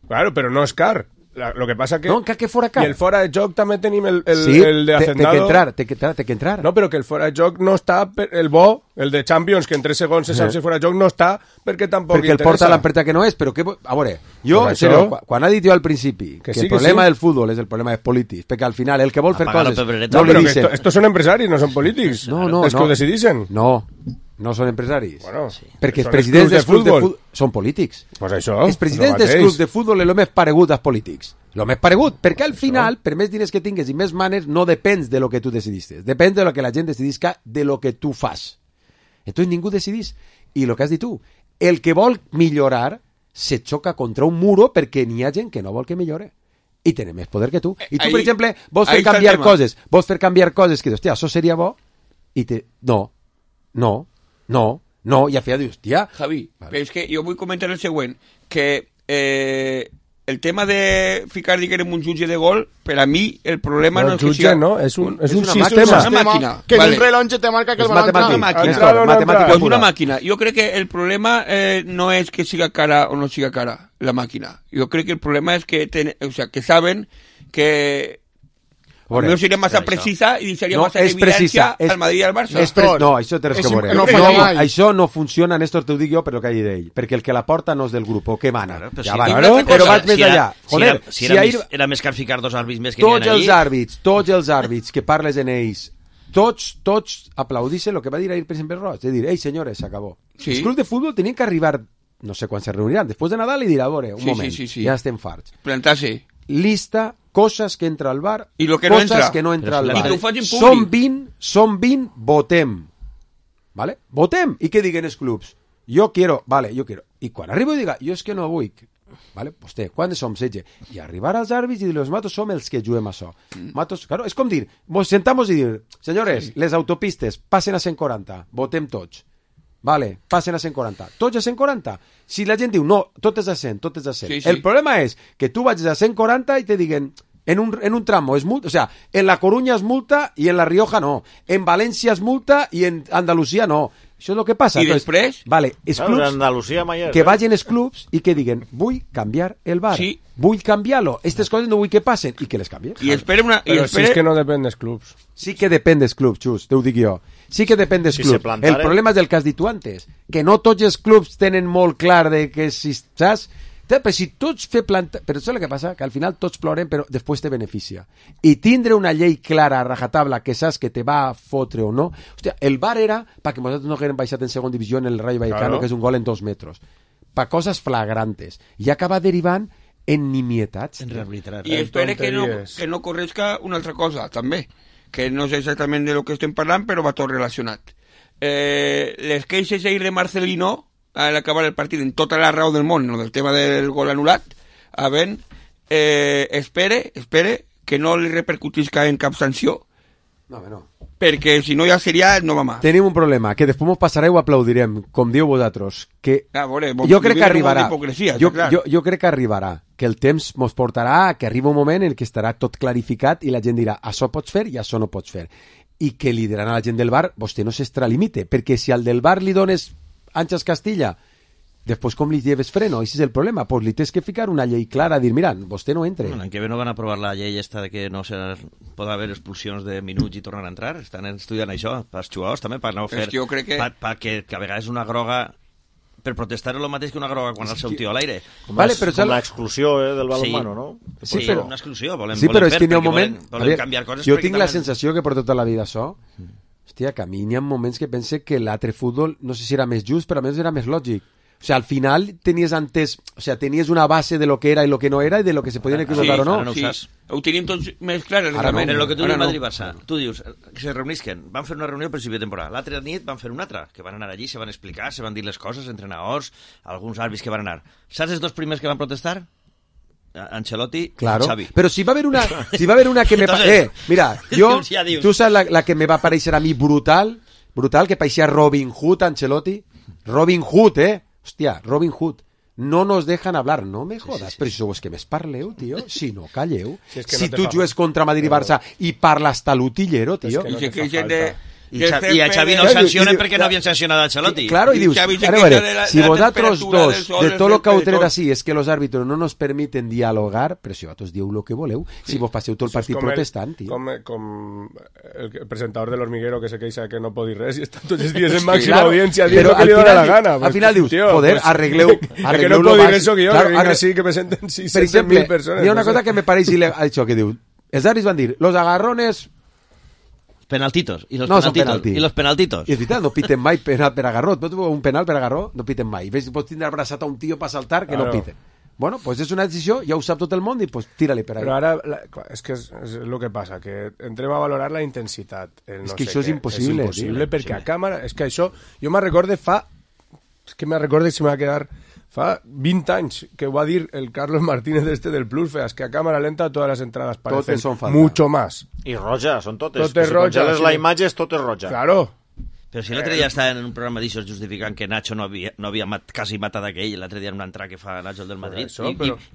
Claro, però no és car. Lo que pasa que... No, que fora car. I el fora de joc també tenim el de Hacendado. Té que entrar. No, però que el fora de joc no està... El bo, el de Champions, que en 3 segons se sap si fora de joc, no està perquè tampoc perquè el porta l'empresa que no és, però que... A veure, jo, en serio, quan ha dit jo al principi que el problema del futbol és el problema dels polítics, perquè al final el que vol fer coses... No, però que estos són empresaris, no són polítics. No. És que ho decidixen. No són empresaris. Bueno, perquè els presidents dels clubs de futbol són polítics. Pues això, els presidents dels clubs de futbol és el més paregut als polítics. El més paregut, perquè al final, per més diners que tingues i més manes, no depens de lo que tu decidistes. Depèn de lo que la gent decidisca de lo que tu fas. Entonces ningú decidís. I el que has dit tu, el que vol millorar se xoca contra un muro perquè n'hi ha gent que no vol que millore. I tenen més poder que tu. I tu, per exemple, vols fer canviar coses. Vols fer canviar coses que dius, hòstia, això seria bo. I te... No, i al final dius, tia... Javi, però és que jo vull comentar el següent, que el tema de ficar, diguem, un jutge de gol, per a mi el problema no és que sigui... No, és un sistema. És una màquina. Que en un rellotge te marca que el balón entra. Matemàtica. És una màquina. Jo crec que el problema no és que siga cara o no siga cara la màquina. Jo crec que el problema és que, que saben que... no seria massa precisa i deixaria massa evidència al Madrid i al Barça. No, això té res que veure. Això no funciona, Néstor, t'ho dic jo, però que hagi d'ell. Perquè el que la porta no és del grup, que mana. Però vaig més allà. Joder, era més car ficar 2 àrbits més que n'hi ha allí. Tots els àrbits que parles en ells, tots aplaudixen el que va dir ahir per exemple Roig, de dir, ei senyores, s'acabó. Els clubs de futbol tenien que arribar, no sé quan se reuniran, després de Nadal i dir, a veure, un moment, ja estem farts. Plantar-se. Lista, cosas que entra al bar, y lo que no entra. Que no entra al bar. Són 20, votem. ¿Vale? Votem. I què diguen els clubs? Yo quiero. I quan arribo i diga, jo és que no vull. ¿Vale? Vostè, quan som 16? I arribar als àrbits i dir, los matos som els que juguem això. Matos, claro, és com dir, nos sentamos i dir, senyores, les autopistes passen a 140, votem tots. Vale, passen a 140. Tots a 140. Si la gent diu, no, tot és a 100, tot és a 100. El problema és que tu vagis a 140 i te diguen, en un tramo es multa, o sea, en La Coruña es multa i en La Rioja no. En València es multa i en Andalusia no. Això és el que passa. I després? Vale, els clubs, que vagin els clubs i que diguen, vull canviar el bar. Sí. Vull canviar-lo. Aquestes coses no vull que passen i que les canvien. I espera una... Però si és que no depèn dels clubs. Sí que depèn dels clubs, Xus, t'ho dic jo. Sí que depèn dels clubs. El problema és el que has dit tu antes, que no tots els clubs tenen molt clar de que si, saps? Però si tots fer planta... Però això és el que passa, que al final tots ploren, però després te beneficia. I tindre una llei clara, a rajatabla, que saps que te va a fotre o no... Hòstia, el VAR era perquè nosaltres no haguem baixat en segona divisió en el Rayo Vallecano, que és un gol en 2 metres. Per coses flagrantes. I acaba derivant en nimietats. I espera que no corresca una altra cosa, també, que no sé exactament de lo que estem parlant, però va tot relacionat. Les queixes ahir de Marcelino a l'acabar el partit en tota la raó del món, no, del tema del gol anul·lat, espere que no li repercutisca en cap sanció. No. Perquè si no ja seria no va mà. Tenim un problema, que després mos passarà i ho aplaudirem, com diu vosaltres, que jo crec que arribarà, jo crec que arribarà, que el temps mos portarà, que arriba un moment en què estarà tot clarificat i la gent dirà, això pots fer i això no pots fer. I que li diran a la gent del bar, vostè no s'extralimite, perquè si al del bar li dones Àngels Castilla Després com li lleves freno? Ese és el problema. Pues li tens que ficar una llei clara, dir, mira, vostè no entre. L'any que ve no van aprovar la llei esta de que no pot haver expulsions de minuts i tornar a entrar. Estan estudiant això, pels jugadors també, per no fer... Jo crec que... que a vegades una groga... Per protestar és el mateix que una groga quan el seu tio a l'aire. Com l'exclusió del balonmano, no? Sí, però una exclusió. Volem però és que n'hi ha un moment... Volem canviar coses. Jo tinc la sensació que per tota la vida això... Hòstia, que a mi n'hi ha moments que pense que l'altre futbol, no sé si era més just, però a més era més lògic. O sea, al final tenies antes... O sea, tenies una base de lo que era y lo que no era y de lo que se podien equivocar o no. No sí. Ho tenim tots més clar. Ara no. En el que tu dius Madrid-Barça, tu dius que se reunisquen, van fer una reunió al principi de temporada, l'altra nit van fer una altra, que van anar allí, se van explicar, se van dir les coses, entrenadors, alguns àrbits que van anar. Saps els dos primers que van protestar? Ancelotti i Xavi. Però si va haver una que me... mira, jo, tu saps la que me va aparèixer a mi brutal, que pareixia Robin Hood, Ancelotti. Robin Hood, hòstia, Robin Hood. No nos dejan hablar, no me jodas, però si sou els que més parleu, tio, si no calleu. Si tu jugues contra Madrid i Barça i parles talutillero, tio. I a Xavi no el sancionen perquè no havien sancionat a Ancelotti. Claro, y dius, si vosotros dos, de todo lo que heu tret así, es que los árbitros no nos permiten dialogar, però si vosaltres dieu lo que voleu, si vos passeu tot el partit protestant, tio. Com el presentador de l'Hormiguero que se queixa que no pot dir res i està tots els dies en màxima audiència dient lo que li dóna la gana. Al final dius, joder, arregleu que no pot dir res soc jo, que vinc així que presenten 600.000 persones. Hi ha una cosa que me pareix això que diu, els àrbits van dir, los agarrones... Penaltitos. I los penaltitos. I és veritat, no piten mai penal per agarró. Un penal per agarró no piten mai. Ves, pots tindre abraçat a un tio per saltar que no piten. Bueno, pues és una decisió, ja ho sap tot el món i pues tira-li per ahí. Però ara, és que és el que passa, que entrem a valorar la intensitat. És que això és impossible. És impossible perquè a càmera... És que això, jo me'n recorde fa... És que me'n recorde si m'ha quedat... Fa 20 anys que ho va dir el Carlos Martínez del Plus, es que a cámara lenta todas las entradas parecen mucho más. I roja, són totes. Si congeles la imatge és tot roja. Claro. Però si l'altre dia estava en un programa d'això justificant que Nacho no havia quasi matat aquell, l'altre dia en una entrada que fa Nacho el del Madrid,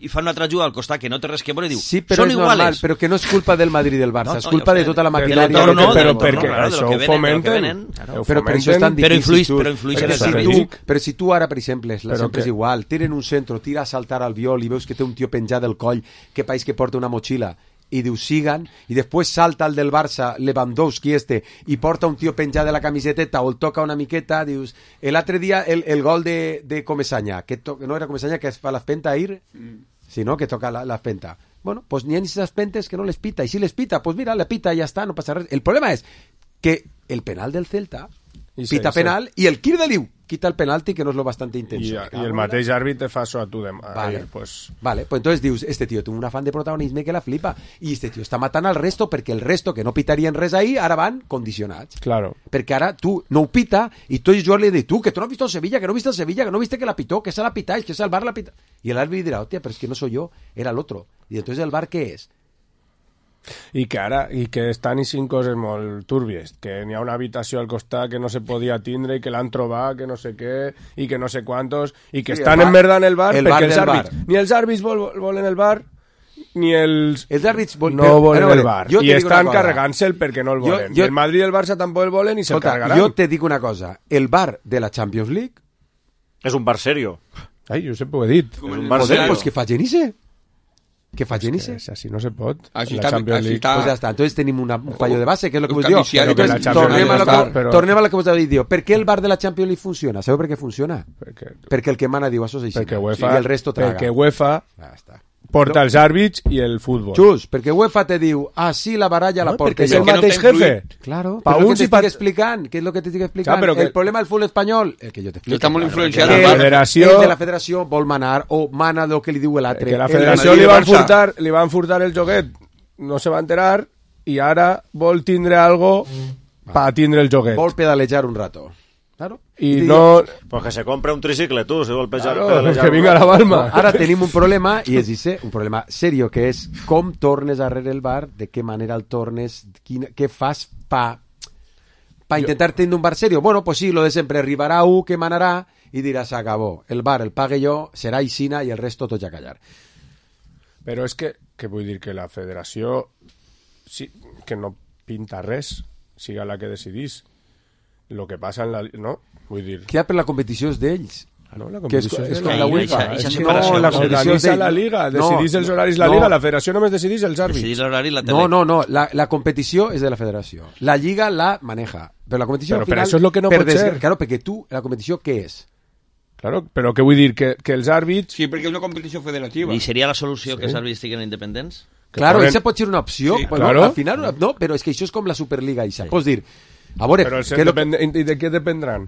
i fa una altra juga al costat que no té res que veure i diu, sí, però són iguales. Normal, però que no és culpa del Madrid i del Barça, és culpa de tota la maquinària. Però perquè això ho fomenten. Però per això és tan difícil. Però si tu ara, per exemple, sempre és igual, tenen un centre, tira a saltar al viol i veus que té un tio penjat del coll que pareix que porta una motxilla, i diu sigan, i després salta el del Barça, Lewandowski i porta un tio penjat de la camiseteta o el toca una miqueta, dius, l'altre dia el gol de Comesaña, que no era Comesaña que es fa l'espenta ahir, sí, no? Que toca l'espenta. Bueno, pues n'hi ha esas pentes que no les pita, i si les pita, pues mira, le pita i ja està, no passa res. El problema és que el penal del Celta pita penal i el Kirde diu quita el penalti que no es lo bastante intenso. Y el mateix àrbit fa això a tu vale, pues entonces dius, este tío tiene un afán de protagonisme que la flipa i este tío està matant al resto perquè el resto que no pitarien res ahí ara van condicionats. Claro. Perquè ara tu no ho pita i tu i jo li dius, tu que tu no has visto el Sevilla, que no viste el Sevilla, que no viste que la pitó, que se la pitáis, que se el bar la pita. Y el árbitro dirá, hostia, pero es que no soy yo, era el otro. Y entonces el bar ¿qué es? I que estan eixint coses molt túrbies, que n'hi ha una habitació al costat que no se podia tindre i que l'han trobat, que no sé què, i que no sé quantos, i que estan emmerdant el bar perquè els àrbits, ni els àrbits volen el bar, ni els àrbits no volen el bar, i estan carregant-se'l perquè no el volen. I el Madrid i el Barça tampoc el volen i se'l carregaran. Jo te dic una cosa, el bar de la Champions League és un bar serio. Ai, jo sempre ho he dit. Joder, pues que facin ise. Que fallen ese. Así no se pot. Así está. Pues ya está. Entonces tenemos un fallo de base, que es lo que vos digo. Tornem a lo que vos habéis dicho. ¿Por qué el bar de la Champions League funciona? ¿Sabeu per què funciona? Perquè el que mana diu això és així. I el resto traga. Perquè UEFA porta els àrbits i el futbol. Just, perquè UEFA te diu, sí, la baralla la porta. Perquè és el mateix jefe. Claro, pa uns i per... Què és lo que t'estic explicant? El problema del futbol espanyol, el que jo t'explico. Està molt influenciat. El de la federació vol manar, o mana del que li diu l'altre. Que la federació li van furtar el joguet, no se va enterar, i ara vol tindre algo pa tindre el joguet. Vol pedalejar un rato. Claro. Y no... Pues que se compre un tricicle, tú, se golpea. Claro, que venga la Balma. Ara tenim un problema, i és un problema serio, que és com tornes a el bar, de què manera el tornes, què fas pa intentar tenir un bar serio. Bueno, pues sí, lo de sempre, arribarà un que manarà i dirà, s'acabó. El bar el pague jo, serà Isina i el resto tots a callar. Però és que vull dir que la federació sí, que no pinta res, siga la que decidís. Lo que passa en la... No? Vull dir... Que per la competició és d'ells. No, la que és competició com de la UEFA. separació. No, la competició és la Liga, decidís els horaris la Liga, la federació només decidís els àrbits. Decidís l'horari i la tele. No, la competició és de la federació. La Lliga la maneja. Però la competició al final... Però això és lo que no pot ser. Claro, perquè tu, la competició, què és? Claro, però què vull dir? Que els àrbits... Sí, perquè és una competició federativa. I seria la solució que els àrbits estiguin independents? Claro, això pot ser una opció. Sí, bueno, claro. Al final, no, però és que això és com la Superliga, Isa. Pots dir, a veure... Però i de què dependran?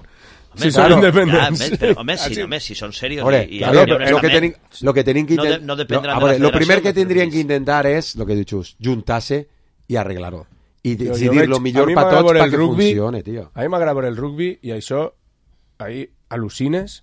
Si són independents. Home, si són serios lo que tenim que intentar... No dependran de la federació. Lo primer que tindrien que intentar és, lo que he dit just, juntar-se i arreglar-ho. I decidir lo millor per tots perquè funcione, tio. A mi m'agrada veure el rugby i això, ahí al·lucines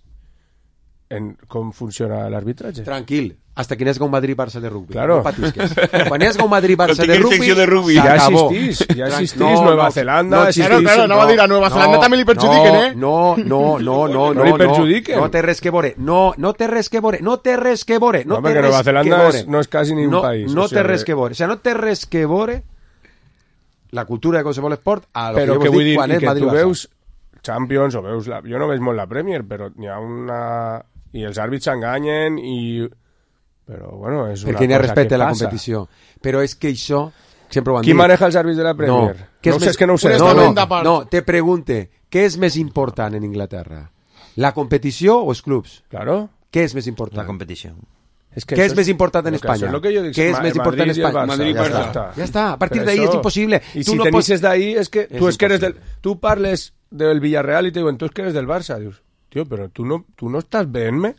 en com funciona l'arbitratge. Tranquil, hasta que n'esga un Madrid-Barça de rugby. Claro. No patisques. Quan n'esga un Madrid-Barça de rugby, ja existís Nueva Zelanda. Claro, no va dir a Nueva Zelanda també li perjudiquen, No li perjudiquen. No té res que veure. No té res que veure. No, perquè Nueva Zelanda no és quasi ni un país. No té res que veure. O sigui, no té res que veure la cultura de qualsevol esport a lo però que jo vull dic dir, quan és que Madrid-Barça. tu veus Champions o veus... Jo no veig molt la Premier, però n'hi ha una... I els àrbits s'enganyen i... Però, bueno, és una perquè n'hi ha cosa respecte que a la passa. competició. Però és que això... Sempre ho han Qui dit. maneja els àrbits de la Premier? No sé, és que no ho sé. No, te pregunte, què és més important en Inglaterra? La competició o els clubs? Claro. Què és més important? La competició. Què és més important en Espanya? Què és més important en Espanya? Madrid-Barça. Ja està. A partir d'ahí és impossible. I si tenisses d'ahí és que tu és que eres del... Tu parles del Villarreal i te diuen, tu és que eres del Barça. Dius, tio, però tu no estàs veient-me?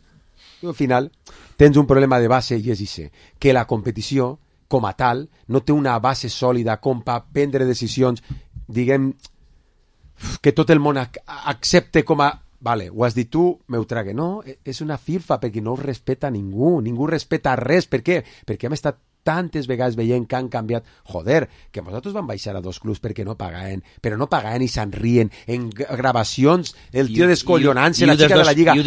Al final tens un problema de base i és això, que la competició com a tal no té una base sòlida com per prendre decisions, diguem, que tot el món accepte com a... Vale, ho has dit tu, m'ho trague. No, és una firfa perquè no ho respeta ningú respeta res. Per què? Perquè hem estat tantes vegades veient que han canviat. Joder, que nosaltres vam baixar a 2 clubs perquè no pagaven, però no pagaven i se'n rient. En gravacions, el tio descollonant-se, la xica de la Lliga,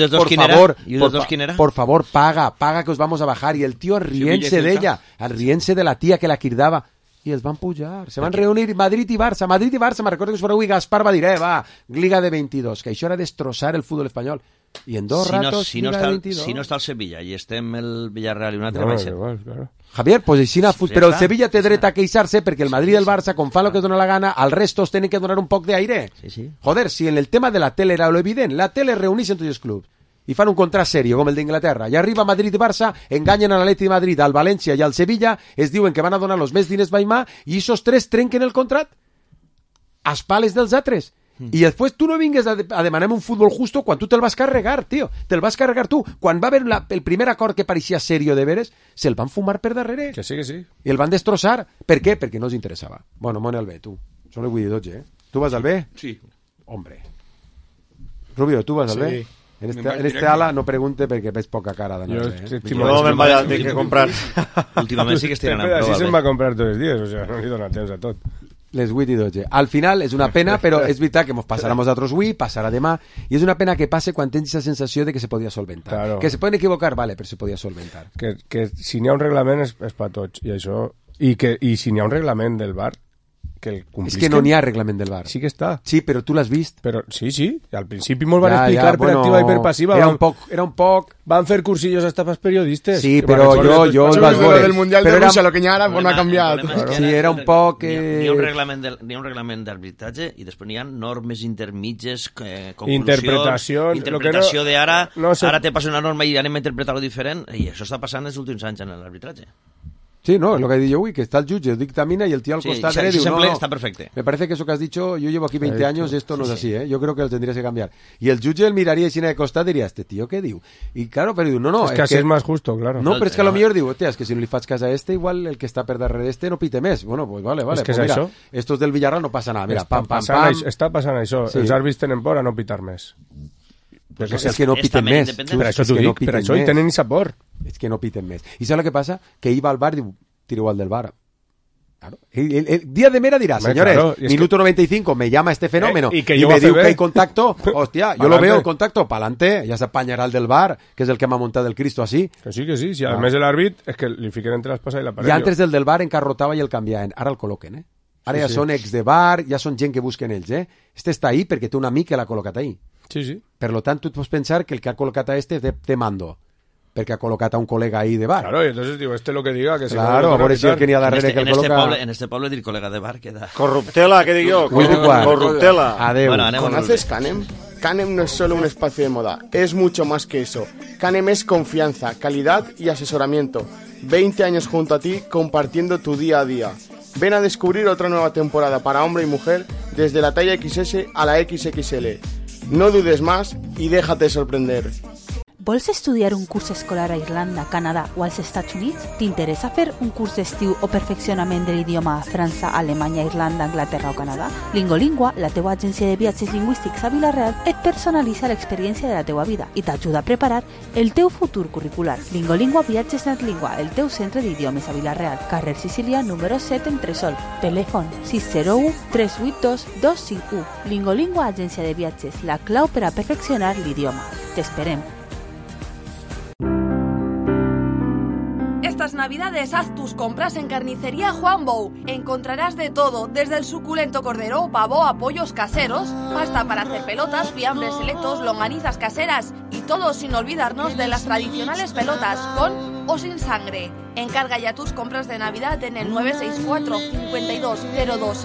por favor, paga que os vamos a bajar. I el tio rient-se d'ella, rient-se de la tia que la cridava. I els van pujar, se van reunir Madrid i Barça, me'n recordo que us fareu i Gaspar va dir, va, Liga de 22, que això era destrossar el futbol espanyol. I en dos ratos, Liga de 22. Si no està el Sevilla i estem el Villarreal i un altre baixa. Claro. Javier, pues aixina, però el Sevilla té dret a queixar-se perquè el Madrid i el Barça, com fan el que dona la gana, al restos tenen que donar un poc d'aire. Sí. Joder, si en el tema de la tele era lo evident, la tele reuneix en tots els clubs i fan un contrat serio com el d'Inglaterra i arriba Madrid i Barça, enganyen a l'Atleti de Madrid, al València i al Sevilla, es diuen que van a donar los més diners Baimà i esos tres trenquen el contrat a espales dels altres. I després tu no vingues a demanar un futbol justo quan tu te'l vas carregar, tio. Te'l vas carregar tu. Quan va haver el primer acord que pareixia serio de veres, se'l van fumar per darrere. Que sí. I el van destrossar. Per què? Perquè no els interessava. Bueno, mone al B, tu. Són el 8 i 12, Tu vas al B? Sí. Hombre. Rubio, tu vas al B? En este ala no pregunte perquè veig poca cara d'anar bé. No me'n vaig a dir que comprar. Últimament sí que estic anant prou. Així se'n va comprar tots els dies, o sigui, no li dona temps a tot. Les 8 i 12. Al final és una pena, però és veritat que ens passarà nosaltres avui, passarà demà, i és una pena que passe quan tens aquesta sensació de que se podia solventar. Claro. Que se poden equivocar, vale, però se podia solventar. Que si n'hi ha un reglament és per tots, i això... I si n'hi ha un reglament del VAR, que el complisquen... És que no n'hi ha reglament del VAR. Sí que està. Sí, però tu l'has vist. Però, sí. Al principi molt van explicar per activa i per passiva. Era un poc... Van fer cursillos hasta pels periodistes. Sí, però jo el vas veure. Del Mundial de Rusia, lo que n'hi ha ara, no ha canviat. Sí, era un poc... N'hi ha un reglament d'arbitratge i després n'hi ha normes intermitges, interpretació de ara te passa una norma i anem a interpretar-ho diferent, i això està passant els últims anys en l'arbitratge. Sí, no, es lo que he dicho hoy, que está el judge, dictamina y el tío al costado dice, no, está perfecto. Me parece que eso que has dicho, yo llevo aquí 20 años, esto no es así, ¿eh? Yo creo que lo tendrías que cambiar. Y el judge él miraría y si de costado diría, este tío, ¿qué digo? Y claro, pero digo, no. Es que así es más justo, claro. No, pero es que a lo mejor digo, hostia, es que si no le fas casa a este, igual el que está per darrere este no pite més. Bueno, pues vale. Es que pues mira, estos del Villarreal no pasa nada. Mira, pam. Està passant això. Els àrbits tenen por a no pitar més. És que no piten més. Per això t'ho dic, per això hi tenen esa por. És que no piten més. I saps el que passa? Que iba al bar i diu, tiro al del bar. Claro. El día de Mera dirá, señores, claro, minuto 95, me llama este fenómeno y me diu que hay contacto, hostia, yo lo veo el contacto, pa'lante, ya se apañará el del bar, que es el que m'ha montado el Cristo así. Que sí, si a més de l'àrbit és que li fiquen entre l'espasa i l'aparell. I antes del bar encarrotava i el canviaven, ara el col·loquen, Ara ja són ex de bar, ja són gent que busquen ells, Este està ahí perquè té un amic que l'ha col·locat ahí. Sí. Per lo tant, tu et pots pensar que el que ha col·locat a este té mando, perquè ha col·locat a un col·lega ahí de bar. Claro, y entonces digo, lo que diga, que claro, a veure si el que n'hi ha darrere que el col·loca... En este poble dir col·lega de bar queda... Corruptela, ¿qué digo yo? Corruptela. Adeu. Bueno, ¿conoces Canem? Canem no es solo un espacio de moda, es mucho más que eso. Canem es confianza, calidad y asesoramiento. 20 años junto a ti, compartiendo tu día a día. Ven a descubrir otra nueva temporada para hombre y mujer, desde la talla XS a la XXL. No dudes más y déjate sorprender. Vols estudiar un curs escolar a Irlanda, Canadà o als Estats Units? T'interessa fer un curs d'estiu o perfeccionament de l'idioma a França, Alemanya, Irlanda, Anglaterra o Canadà? Lingolingua, la teua agència de viatges lingüístics a Vila-real, et personalitza l'experiència de la teua vida i t'ajuda a preparar el teu futur curricular. Lingolingua Viatges Netlingua, el teu centre d'idiomes a Vila-real, carrer Sicília, número 7, Entresol. Telèfon 601 382 251. Lingolingua, agència de viatges, la clau per a perfeccionar l'idioma. T'esperem. Estas navidades haz tus compras en Carnicería Juan Bou. Encontrarás de todo, desde el suculento cordero, pavo a pollos caseros, pasta para hacer pelotas, fiambres selectos, longanizas caseras y todo sin olvidarnos de las tradicionales pelotas, con o sin sangre. Encarga ya tus compras de Navidad en el 964 5202